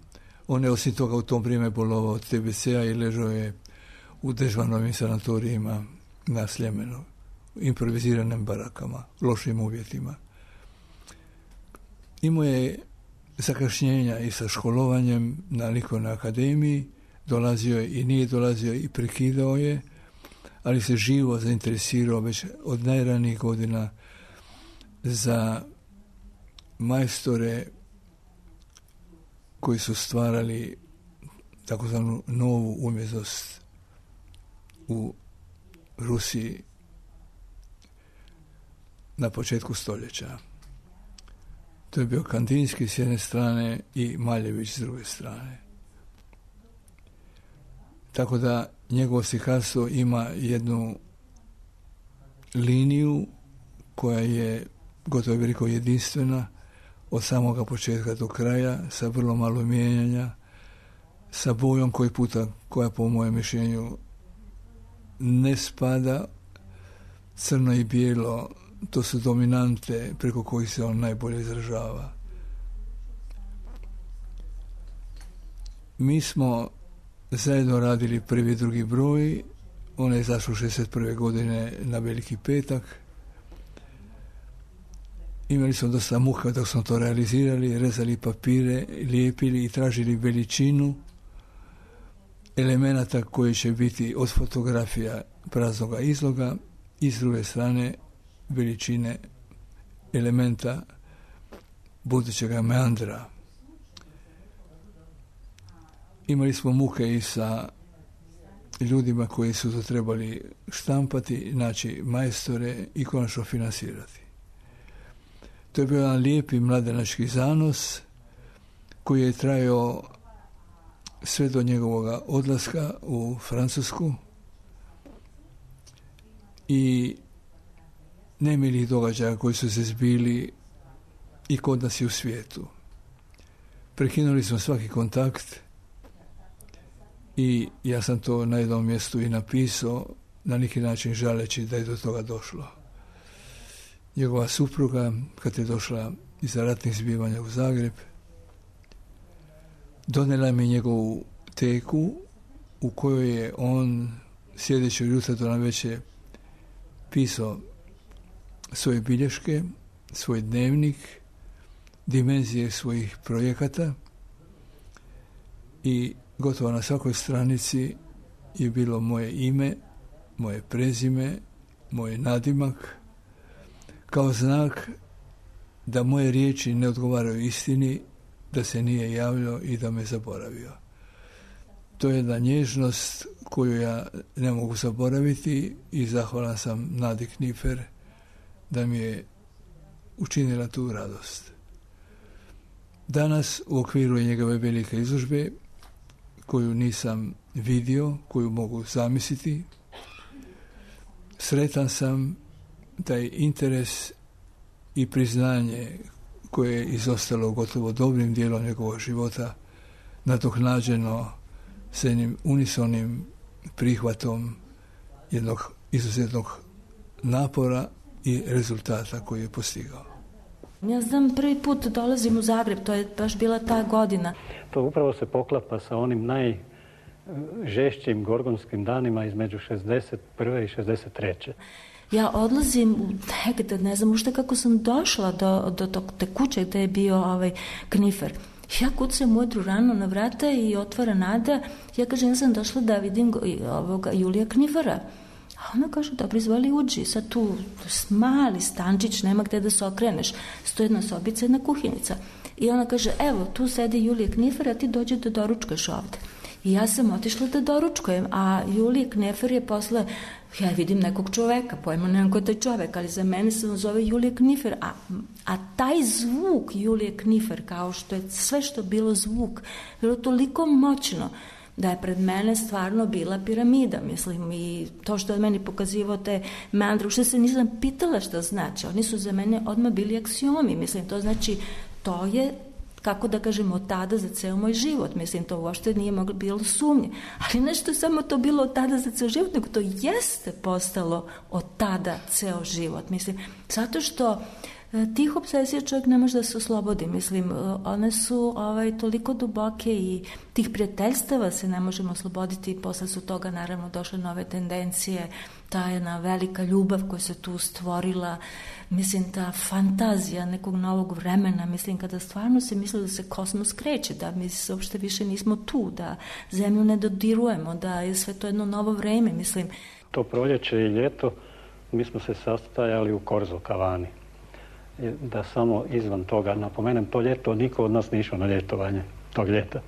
[SPEAKER 7] on je osim toga u tom vrijeme bolovao od T B C-a i ležao je u Dežvanovim sanatorijima na Sljemenu, improviziranim barakama, lošim uvjetima. Imao je zakašnjenja i sa školovanjem na likovnoj akademiji, dolazio je i nije dolazio i prekidao je, ali se živo zainteresirao već od najranijih godina za majstore koji su stvarali takozvanu novu umjetnost u Rusiji na početku stoljeća. To je bio Kandinski s jedne strane i Maljević s druge strane. Tako da njegovo slikarstvo ima jednu liniju koja je gotovo veliko jedinstvena od samoga početka do kraja, sa vrlo malo mijenjanja, sa bojom koji puta, koja po mojem mišljenju ne spada, crno i bijelo, to su dominante preko kojih se on najbolje izražava. Mi smo zajedno radili prvi i drugi broj, on je izašao šezdeset prve godine na Veliki petak. Imali smo dosta muka dok smo to realizirali, rezali papire, lijepili i tražili veličinu elemenata koji će biti od fotografija praznoga izloga i s druge strane veličine elementa budućega meandra. Imali smo muke i sa ljudima koji su to trebali štampati, znači majstore i konačno finansirati. To je bio jedan lijepi mladenački zanos koji je trajao sve do njegovog odlaska u Francusku i nemilih događaja koji su se zbili i kod nas i u svijetu. Prekinuli smo svaki kontakt i ja sam to na jednom mjestu i napisao, na neki način žaleći da je do toga došlo. Njegova supruga, kad je došla iz ratnih zbivanja u Zagreb, donijela mi njegovu teku u kojoj je on sljedećeg jutra do navečer pisao svoje bilješke, svoj dnevnik, dimenzije svojih projekata i gotovo na svakoj stranici je bilo moje ime, moje prezime, moj nadimak, kao znak da moje riječi ne odgovaraju istini, da se nije javljao i da me zaboravio. To je jedna nježnost koju ja ne mogu zaboraviti i zahvalan sam Nadi Knifer da mi je učinila tu radost. Danas u okviru njegove velike izložbe, koju nisam vidio, koju mogu zamisliti, sretan sam taj interes i priznanje koje je izostalo gotovo dobrim dijelom njegovog života, nadoknađeno s jednim unisonim prihvatom jednog izuzetnog napora i rezultata koji je postigao.
[SPEAKER 8] Ja znam, prvi put dolazim u Zagreb, to je baš bila ta godina.
[SPEAKER 6] To upravo se poklapa sa onim najžešćim gorgonskim danima između šezdeset prve i šezdeset treće
[SPEAKER 8] Ja odlazim negde, ne znam ušte kako sam došla do, do, do te kuće gde je bio ovaj Knifer. Ja kucam mudru rano na vrata i otvara Nada. Ja kažem, ja sam došla da vidim ovoga Julija Knifera. A ona kaže, dobro, izvoli uđi, sad tu mali stančić, nema gde da se okreneš, stoji jedna sobica, jedna kuhinjica. I ona kaže, evo, tu sedi Julije Knifer, a ti dođe da doručkuješ ovde. I ja sam otišla da doručkujem, a Julije Knifer je posle, ja vidim nekog čoveka, pojma nemam ko je taj čovek, ali za mene se zove Julije Knifer, a, a taj zvuk Julije Knifer, kao što je sve što bilo zvuk, bilo toliko moćno, da je pred mene stvarno bila piramida, mislim, i to što je meni pokazivao te meandre, što se nisam pitala šta znači, oni su za mene odmah bili aksiomi, mislim, to znači, to je, kako da kažemo, od tada za ceo moj život, mislim, to uopšte nije moglo bilo sumnje, ali nešto je samo to bilo od tada za ceo život, nego to jeste postalo od tada ceo život, mislim, zato što tih obsesija čovjek ne može da se oslobodi, mislim, one su ovaj, toliko duboke i tih prijateljstava se ne možemo osloboditi, posle su toga naravno došle nove tendencije, ta jedna velika ljubav koja se tu stvorila, mislim, ta fantazija nekog novog vremena, mislim, kada stvarno se misli da se kosmos kreće, da mi se uopšte više nismo tu, da zemlju ne dodirujemo, da je sve to jedno novo vreme, mislim.
[SPEAKER 6] To proljeće i ljeto mi smo se sastajali u Korzo kavani. Da samo izvan toga napomenem, to ljeto niko od nas nije išao na ljetovanje tog ljeta.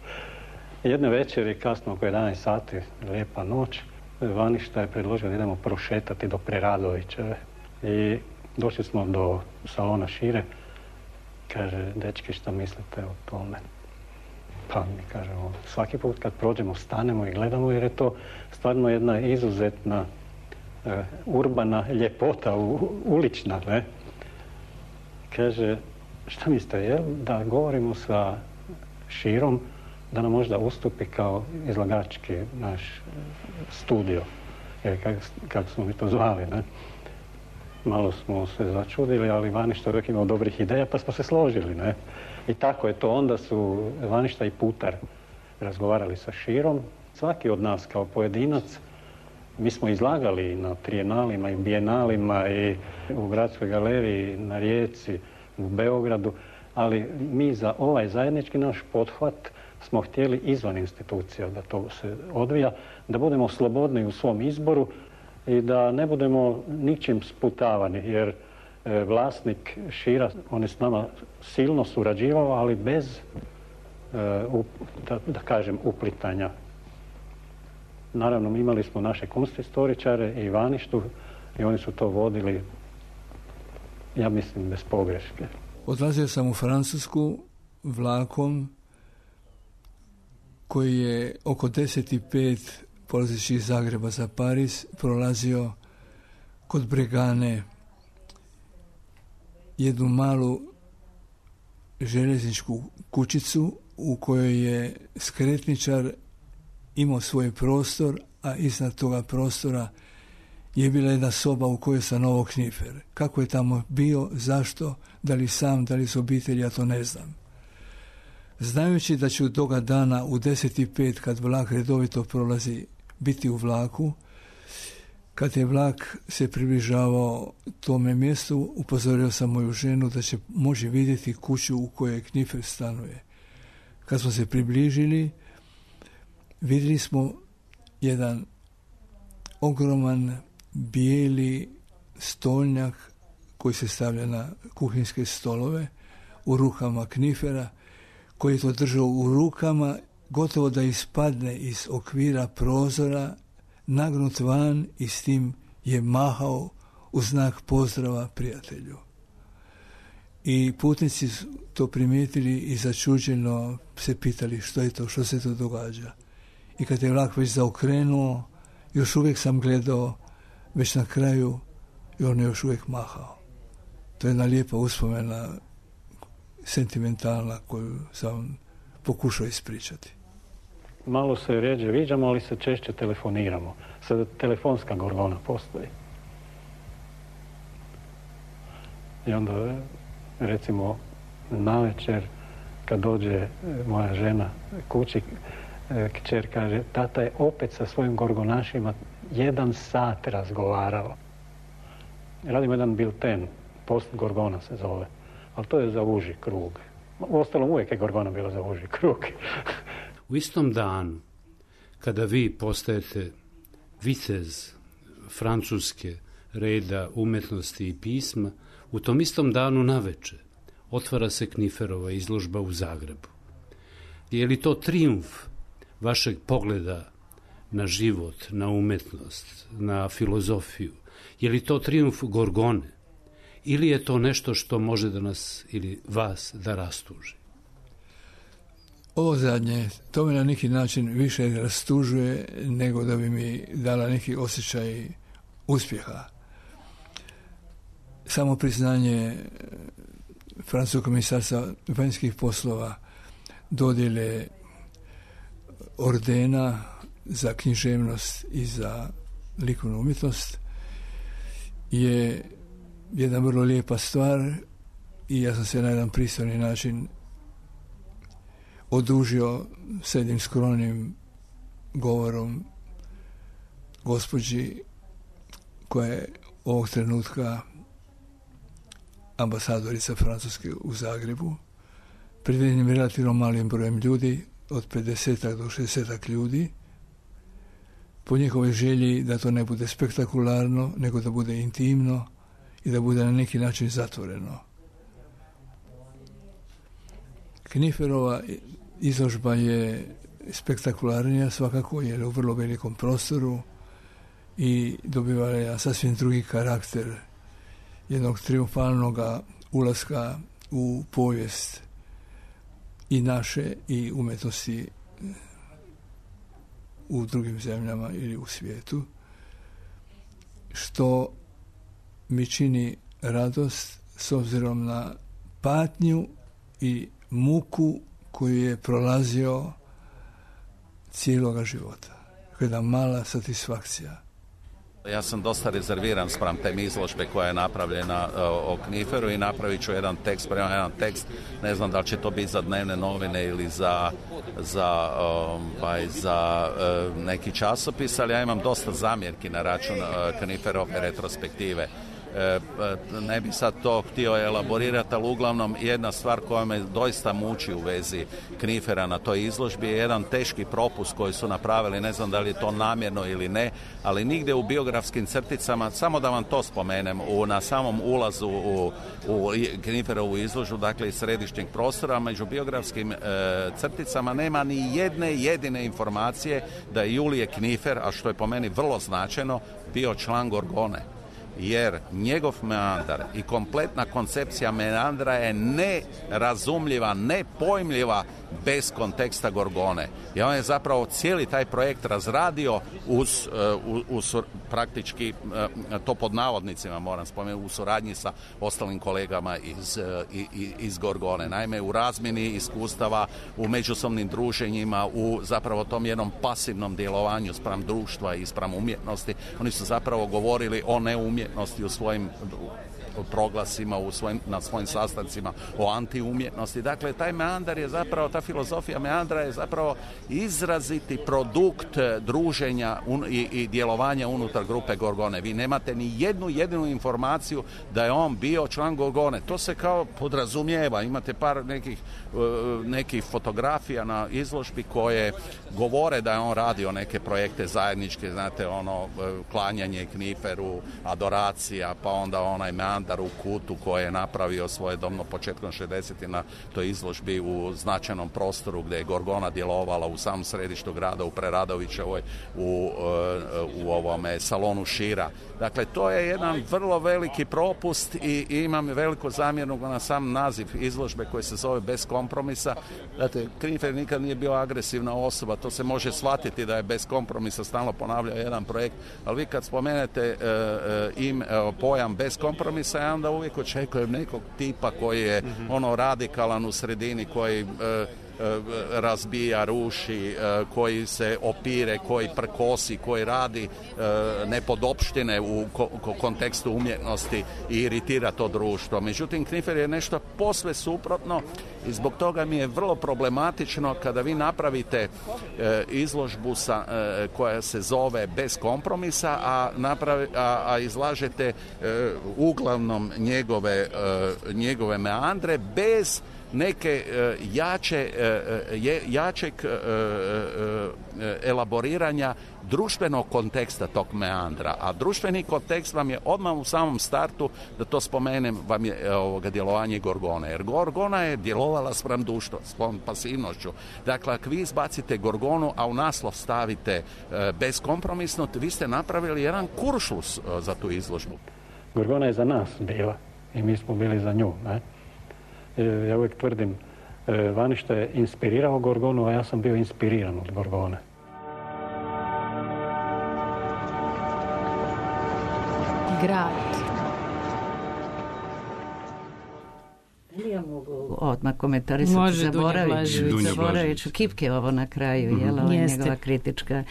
[SPEAKER 6] Jedne večeri, kasno oko jedanaest sati, lijepa noć, Vaništa je predložio da idemo prošetati do Preradovićeve. I došli smo do salona Šire. Kaže, dečki, šta mislite o tome? Pa mi kažemo, svaki put kad prođemo, stanemo i gledamo, jer je to stvarno jedna izuzetna uh, urbana ljepota, u, ulična, ne? Kaže, šta mislite, je da govorimo sa Širom, da nam možda ustupi kao izlagački naš studio, jer kako, kako smo mi to zvali, ne? Malo smo se začudili, ali Vaništa uvijek imao dobrih ideja, pa smo se složili, ne? I tako je to. Onda su Vaništa i Putar razgovarali sa Širom. Svaki od nas kao pojedinac, mi smo izlagali na trijenalima i bijenalima i u Gradskoj galeriji na Rijeci, u Beogradu, ali mi za ovaj zajednički naš pothvat smo htjeli izvan institucija da to se odvija, da budemo slobodni u svom izboru i da ne budemo ničim sputavani, jer e, vlasnik Šira, on je s nama silno surađivao, ali bez, e, up, da, da kažem, uplitanja. Naravno, imali smo naše kunsthistoričare i Vaništu i oni su to vodili, ja mislim, bez pogreške.
[SPEAKER 7] Odlazio sam u Francusku vlakom koji je oko deset i pet polazeći iz Zagreba za Pariz prolazio kod Bregane jednu malu željezničku kućicu u kojoj je skretničar imao svoj prostor, a iznad toga prostora je bila jedna soba u kojoj sam Novo Knifer. Kako je tamo bio, zašto, da li sam, da li s obitelji, ja to ne znam. Znajući da ću toga dana u deset i pet, kad vlak redovito prolazi, biti u vlaku, kad je vlak se približavao tome mjestu, upozorio sam moju ženu da će moći vidjeti kuću u kojoj Knifer stanuje. Kad smo se približili, vidjeli smo jedan ogroman bijeli stolnjak koji se stavlja na kuhinjske stolove u rukama Knifera, koji je to držao u rukama, gotovo da ispadne iz okvira prozora, nagnut van i s tim je mahao u znak pozdrava prijatelju. I putnici su to primijetili i začuđeno se pitali što je to, što se to događa. I kad je vlak već zaokrenuo, još uvijek sam gledao već na kraju i on je još uvijek mahao. To je jedna lijepa uspomena, sentimentalna, koju sam pokušao ispričati.
[SPEAKER 6] Malo se rjeđe viđamo, ali se češće telefoniramo. Sada telefonska gorgona postoji. I onda, recimo, navečer, kad dođe moja žena kući, kćer kaže, tata je opet sa svojim gorgonašima jedan sat razgovarao. Radimo jedan bilten, post gorgona se zove, ali to je za uži krug. Uostalom, uvijek je gorgona bila za uži krug.
[SPEAKER 5] U istom danu, kada vi postajete vitez Francuske reda umetnosti i pisma, u tom istom danu naveče otvara se Kniferova izložba u Zagrebu. Je li to trijumf vašeg pogleda na život, na umetnost, na filozofiju? Je li to trijumf Gorgone? Ili je to nešto što može da nas ili vas da rastuži?
[SPEAKER 7] Ovo zadnje, to me na neki način više rastužuje nego da bi mi dala neki osjećaj uspjeha. Samo priznanje Francuskog ministarstva vanjskih poslova, dodjele ordena za književnost i za likovnu umjetnost je jedna vrlo lijepa stvar i ja sam se na jedan pristojni način odužio s jednim skromnim govorom gospođi koja je ovog trenutka ambasadorica Francuske u Zagrebu, pred jednim relativno malim brojem ljudi, od pedesetak do šezdesetak ljudi, po njihovoj želji da to ne bude spektakularno, nego da bude intimno i da bude na neki način zatvoreno. Kniferova izložba je spektakularnija svakako, jer je u vrlo velikom prostoru i dobiva je sasvim drugi karakter jednog triumfalnog ulaska u povijest i naše i umetnosti u drugim zemljama ili u svijetu, što mi čini radost s obzirom na patnju i muku koju je prolazio cijeloga života. Jedna mala satisfakcija.
[SPEAKER 9] Ja sam dosta rezerviran spram te izložbe koja je napravljena uh, o Kniferu i napravit ću jedan tekst, prema jedan tekst, ne znam da li će to biti za dnevne novine ili za, za, um, pa za uh, neki časopis, ali ja imam dosta zamjerki na račun uh, Kniferove retrospektive. Ne bi sad to htio elaborirati, ali uglavnom jedna stvar koja me doista muči u vezi Knifera na toj izložbi je jedan teški propust koji su napravili, ne znam da li je to namjerno ili ne, ali nigdje u biografskim crticama, samo da vam to spomenem, u, na samom ulazu u, u Kniferovu izložbu, dakle iz središnjeg prostora, među biografskim e, crticama nema ni jedne jedine informacije da je Julije Knifer, a što je po meni vrlo značajno, bio član Gorgone. Jer njegov meandar i kompletna koncepcija meandra je nerazumljiva, nepojmljiva bez konteksta Gorgone. I on je zapravo cijeli taj projekt razradio uz, uz, uz praktički, to pod navodnicima moram spomenuti, u suradnji sa ostalim kolegama iz, iz Gorgone. Naime, u razmjeni iskustava, u međusobnim druženjima, u zapravo tom jednom pasivnom djelovanju spram društva i spram umjetnosti, oni su zapravo govorili o neumjetnosti u svojim proglasima, u svojim, na svojim sastancima o antiumjetnosti. Dakle, taj meandar je zapravo, ta filozofija meandra je zapravo izraziti produkt druženja un, i, i djelovanja unutar grupe Gorgone. Vi nemate ni jednu jedinu informaciju da je on bio član Gorgone. To se kao podrazumijeva. Imate par nekih, nekih fotografija na izložbi koje govore da je on radio neke projekte zajedničke, znate, ono, klanjanje Kniferu, adoracija, pa onda onaj meandar u kutu koje je napravio svojedobno početkom šezdesetih na toj izložbi u značajnom prostoru gdje je Gorgona djelovala u samom središtu grada, u Preradovićevoj, u, u ovome salonu Šira. Dakle, to je jedan vrlo veliki propust i, i imam veliku zamjernu na sam naziv izložbe koji se zove Bez kompromisa. Dakle, Knifer nikad nije bio agresivna osoba, to se može shvatiti da je bez kompromisa stalno ponavljao jedan projekt, ali vi kad spomenete e, im, e, pojam bez kompromisa, ja onda uvijek očekujem nekog tipa koji je mm-hmm. ono radikalan u sredini, koji e, razbija, ruši, koji se opire, koji prkosi, koji radi nepodopštine u kontekstu umjetnosti i iritira to društvo. Međutim, Knifer je nešto posve suprotno i zbog toga mi je vrlo problematično kada vi napravite izložbu sa, koja se zove Bez kompromisa, a, napravi, a, a izlažete uglavnom njegove, njegove meandre bez neke jače, jačeg elaboriranja društvenog konteksta tog meandra, a društveni kontekst vam je odmah u samom startu, da to spomenem, vam je ovoga djelovanje Gorgone, jer Gorgona je djelovala spram društva, spram pasivnošću. Dakle, ako vi izbacite Gorgonu, a u naslov stavite e, beskompromisno, vi ste napravili jedan kuršlus e, za tu izložbu.
[SPEAKER 6] Gorgona je za nas bila i mi smo bili za nju. Ne? E, ja uvijek tvrdim, e, Vaništa je inspirirao Gorgonu, a ja sam bio inspiriran od Gorgone.
[SPEAKER 4] Grad.
[SPEAKER 2] Ja mogu odmah komentarisati, zaboravit ću Kipke ovo na kraju, mm-hmm. jel, ovo je njegova kritička.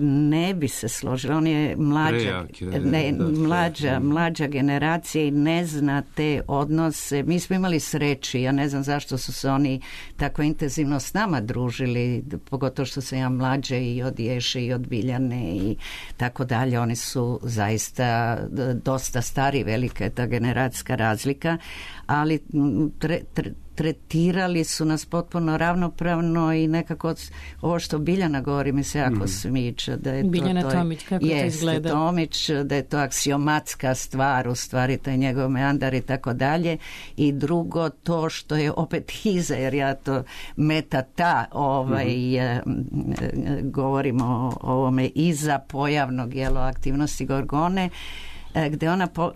[SPEAKER 2] Ne bi se složila, on je mlađa, ne, mlađa, mlađa generacija i ne zna te odnose. Mi smo imali sreći, ja ne znam zašto su se oni tako intenzivno s nama družili, pogotovo što sam ja mlađa i od Ješe i od Biljane i tako dalje. Oni su zaista dosta stari, velika je ta generacijska razlika, ali tre, tre, tretirali su nas potpuno ravnopravno i nekako ovo što Biljana govori mi se jako mm. smiče. Da je
[SPEAKER 4] Biljana
[SPEAKER 2] to, to
[SPEAKER 4] Tomić, kako
[SPEAKER 2] jeste,
[SPEAKER 4] to izgleda?
[SPEAKER 2] Tomić, da je to aksiomatska stvar, u stvari taj njegov meandar i tako dalje. I drugo, to što je opet iza, jer ja to meta ta ovaj, mm. govorimo o ovome iza pojavnog jelo aktivnosti Gorgone, gdje ona po,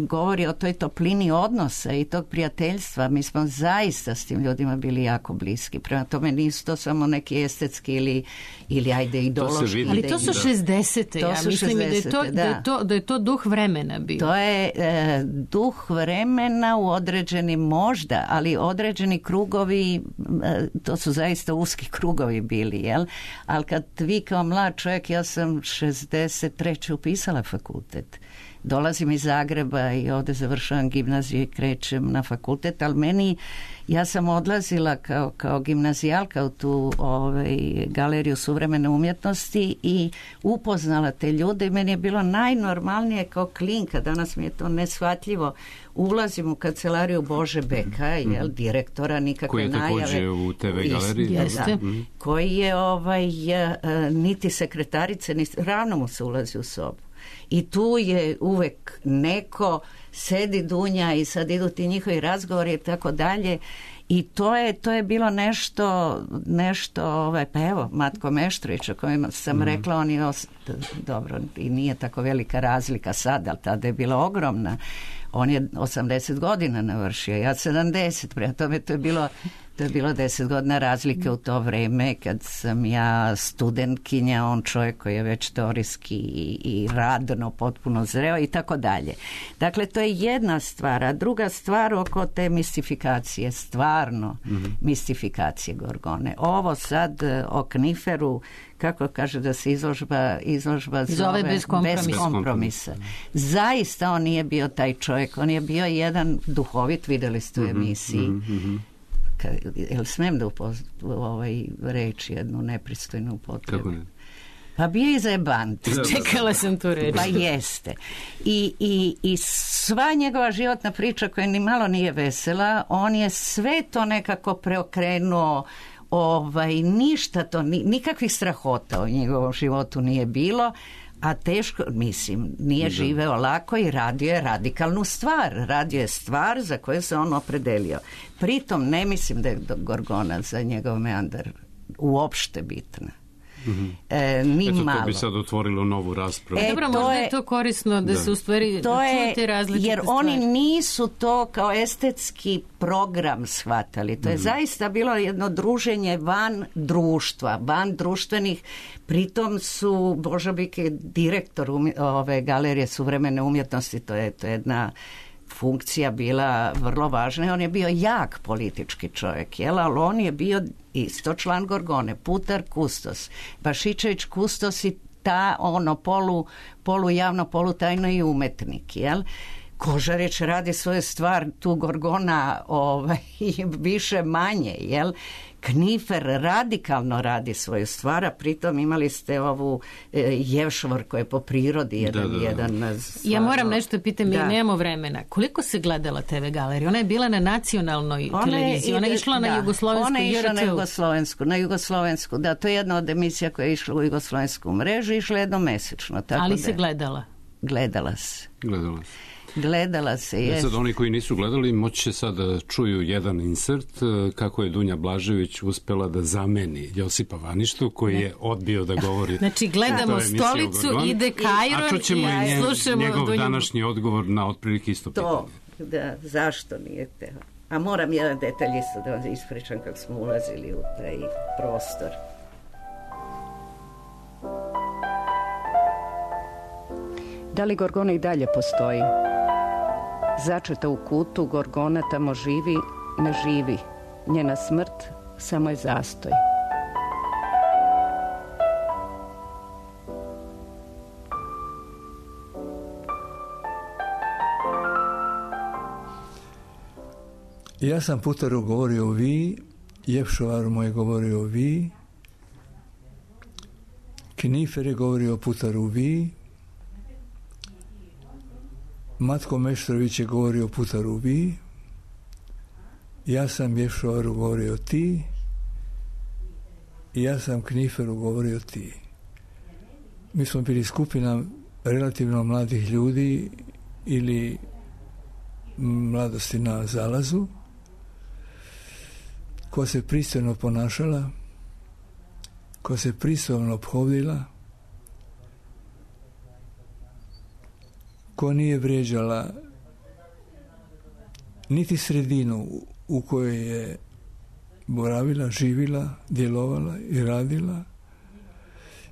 [SPEAKER 2] govori o toj toplini odnosa i tog prijateljstva. Mi smo zaista s tim ljudima bili jako bliski. Prema tome nisu to samo neki estetski ili, ili ajde ideološki.
[SPEAKER 4] Ali to su šezdesete. Ja
[SPEAKER 2] su
[SPEAKER 4] mislim šezdesete, da, je to, da. Da, je to, da je to duh vremena bio.
[SPEAKER 2] To je e, duh vremena u određenim možda, ali određeni krugovi, e, to su zaista uski krugovi bili, jel? Ali kad vi kao mlad čovjek, ja sam šezdeset treće upisala fakultet. Dolazim iz Zagreba i ovdje završavam gimnaziju i krećem na fakultet, ali meni, ja sam odlazila kao, kao gimnazijalka u tu ovaj, galeriju suvremene umjetnosti i upoznala te ljude i meni je bilo najnormalnije kao klinka, danas mi je to neshvatljivo, ulazim u kancelariju Bože Beka, jel, direktora, nikakve najave.
[SPEAKER 5] Koji je također u te ve galeriji.
[SPEAKER 2] Da, mm. koji je ovaj, niti sekretarice, niti, ravno mu se ulazi u sobu. I tu je uvek neko sedi dunja i sad idu ti njihovi razgovori i tako dalje. I to je, to je bilo nešto, nešto ovaj, pa evo, Matko Meštrović, o kojem sam mm. rekla, on je, os... dobro, i nije tako velika razlika sad, ali tada je bila ogromna. On je osamdeset godina navršio, ja sedamdeset, prema tome to je bilo, to je bilo deset godina razlike u to vreme kad sam ja studentkinja, on čovjek koji je već teorijski i, i radno potpuno zreo i tako dalje. Dakle, to je jedna stvar, a druga stvar oko te mistifikacije, stvarno mm-hmm. mistifikacije Gorgone. Ovo sad o Kniferu, kako kaže da se izložba, izložba zove,
[SPEAKER 4] zove bez kompromisa.
[SPEAKER 2] bez kompromisa. Zaista on nije bio taj čovjek, on je bio jedan duhovit, vidjeli ste u emisiji. Mm-hmm. Ka, jel smem da upoz, ovaj, reći jednu nepristojnu upotrebu?
[SPEAKER 5] Kako ne?
[SPEAKER 2] Pa bio je zajebant.
[SPEAKER 4] Čekala sam tu reći.
[SPEAKER 2] Pa jeste. I, i, i sva njegova životna priča koja ni malo nije vesela, on je sve to nekako preokrenuo. Ovaj, ništa to, nikakvih strahota u njegovom životu nije bilo, a teško, mislim, nije živeo lako i radio je radikalnu stvar. Radio je stvar za koju se on opredelio. Pritom ne mislim da je Gorgona za njegov meandar uopšte bitna.
[SPEAKER 5] Mm-hmm.
[SPEAKER 2] E, ni
[SPEAKER 5] Eto,
[SPEAKER 2] malo.
[SPEAKER 5] to bi sad otvorilo novu raspravu.
[SPEAKER 4] E, Dobro, možda je to korisno da, da. se u stvari
[SPEAKER 2] to je,
[SPEAKER 4] čuje različite
[SPEAKER 2] jer
[SPEAKER 4] stvari.
[SPEAKER 2] Oni nisu to kao estetski program shvatali. To je mm-hmm. zaista bilo jedno druženje van društva, van društvenih. Pritom su Božabik je direktor umje, ove galerije suvremene umjetnosti, to je, to je jedna funkcija bila vrlo važna i on je bio jak politički čovjek, jel? Ali on je bio isto član Gorgone, Putar kustos, Bašičević kustos i ta ono polu, polu javno, polu tajno i umetnik, jel? Kožarić radi svoju stvar, tu Gorgona ovaj, više manje, jel? Knifer radikalno radi svoju stvar, a pritom imali ste ovu e, Jevšvor koja je po prirodi jedan, da, da. jedan stvarno...
[SPEAKER 4] Ja moram nešto pitam, mi nemamo vremena. Koliko se gledala te ve galerija? Ona je bila na nacionalnoj ona televiziji, je, ona je išla da, na jugoslovensku.
[SPEAKER 2] Ona je išla na jugoslovensku, na jugoslovensku, da, to je jedna od emisija koja je išla u jugoslovensku mrežu, išla jednomesečno. Tako
[SPEAKER 4] ali
[SPEAKER 2] da,
[SPEAKER 4] se gledala?
[SPEAKER 2] Gledala se.
[SPEAKER 5] Gledala se.
[SPEAKER 2] Gledala se,
[SPEAKER 5] je.
[SPEAKER 2] Jest.
[SPEAKER 5] Sad oni koji nisu gledali moći će sad da čuju jedan insert kako je Dunja Blažević uspela da zameni Josipa Vaništu koji ne. je odbio da govori.
[SPEAKER 4] Znači gledamo stolicu, ide Kajron
[SPEAKER 5] a čućemo i,
[SPEAKER 4] i
[SPEAKER 5] nje,
[SPEAKER 4] slušamo
[SPEAKER 5] njegov
[SPEAKER 4] Dunju...
[SPEAKER 5] današnji odgovor na otprilike isto pitanje.
[SPEAKER 2] To, da, zašto nije teo? A moram jedan detalj isto da vam ispričam kako smo ulazili u taj prostor.
[SPEAKER 3] Da li Gorgona i dalje postoji? Začeta u kutu, Gorgona tamo živi, ne živi. Njena smrt samo je zastoj.
[SPEAKER 7] Ja sam Putaru govorio vi, Jevšovaru mu je govorio vi, Knifer je govorio Putaru vi, Matko Meštrović je govorio Putaru vi, ja sam Jevšovaru govorio ti i ja sam Kniferu govorio ti. Mi smo bili skupina relativno mladih ljudi ili mladosti na zalazu, koja se pristojno ponašala, koja se pristojno ophodila, koja nije vrijeđala niti sredinu u kojoj je boravila, živila, djelovala i radila.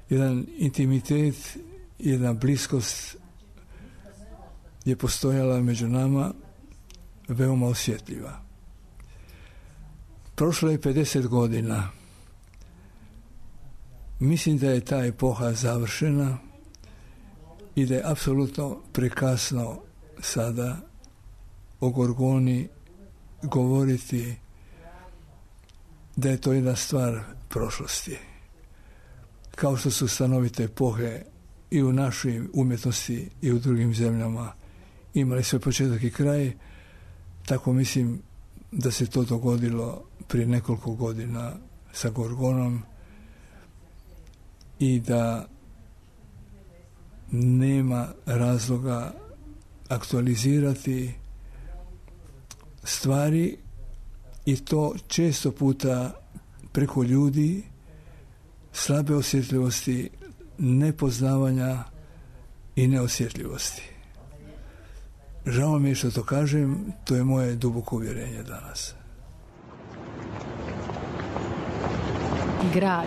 [SPEAKER 7] Jedan intimitet, jedna bliskost je postojala među nama veoma osjetljiva. Prošlo je pedeset godina. Mislim da je ta epoha završena i da je apsolutno prekasno sada o Gorgoni govoriti da je to jedna stvar prošlosti. Kao što su stanovite epohe i u našoj umjetnosti i u drugim zemljama imali sve početak i kraj, tako mislim da se to dogodilo prije nekoliko godina sa Gorgonom i da nema razloga aktualizirati stvari i to često puta preko ljudi slabe osjetljivosti, nepoznavanja i neosjetljivosti. Žao mi je što to kažem, to je moje duboko uvjerenje danas.
[SPEAKER 4] Grad.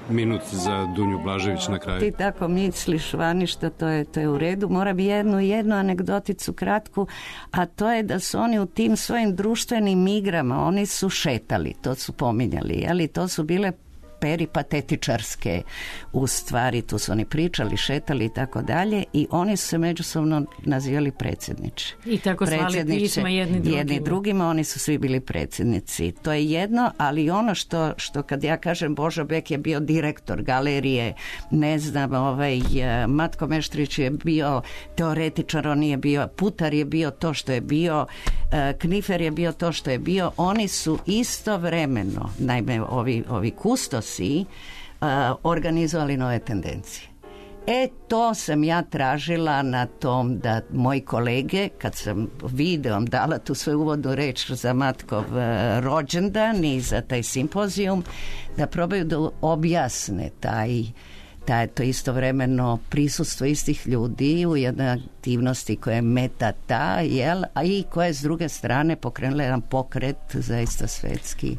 [SPEAKER 5] Minut za Dunju Blažević na kraju.
[SPEAKER 2] Ti tako misliš, Vaništa, to je, to je u redu. Moram jednu, jednu anegdoticu kratku, a to je da su oni u tim svojim društvenim igrama, oni su šetali, to su pominjali, ali to su bile peripatetičarske u stvari, tu su oni pričali, šetali i tako dalje i oni su se međusobno nazivali predsjedniče.
[SPEAKER 4] I tako slali pisma jedni drugima.
[SPEAKER 2] Jedni drugima, oni su svi bili predsjednici. To je jedno, ali ono što, što kad ja kažem Božo Bek je bio direktor galerije, ne znam, ovaj, Matko Meštrović je bio teoretičar, on je bio, Putar je bio to što je bio, Knifer je bio to što je bio, oni su istovremeno, naime ovi, ovi kustos si uh, organizovali nove tendencije. E, to sam ja tražila na tom da moji kolege, kad sam videom dala tu svoju uvodnu reč za Matkov uh, rođendan i za taj simpozijum, da probaju da objasne taj, taj to istovremeno prisustvo istih ljudi u jednoj aktivnosti koja je metata, jel, a i koja je s druge strane pokrenula jedan pokret zaista svetski.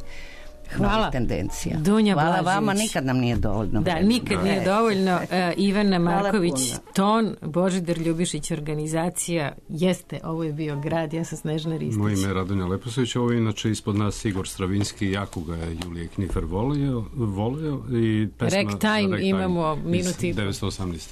[SPEAKER 2] Hvala. Tendencija.
[SPEAKER 4] Dunja
[SPEAKER 2] Hvala
[SPEAKER 4] Blažević.
[SPEAKER 2] Vama, nikad nam nije dovoljno.
[SPEAKER 4] Da,
[SPEAKER 2] vremena.
[SPEAKER 4] nikad nije dovoljno. Uh, Ivana Marković, ton, Božidar Ljubišić, organizacija, jeste, ovo je bio grad, ja sam Snežana Ristić.
[SPEAKER 5] Moje ime je Radonja Leposović, ovo je inače ispod nas Igor Stravinski, jako ga je Julije Knifer volio, volio i pesma
[SPEAKER 4] Ragtime,
[SPEAKER 5] Ragtime
[SPEAKER 4] imamo minuti.
[SPEAKER 5] devetsto osamnaest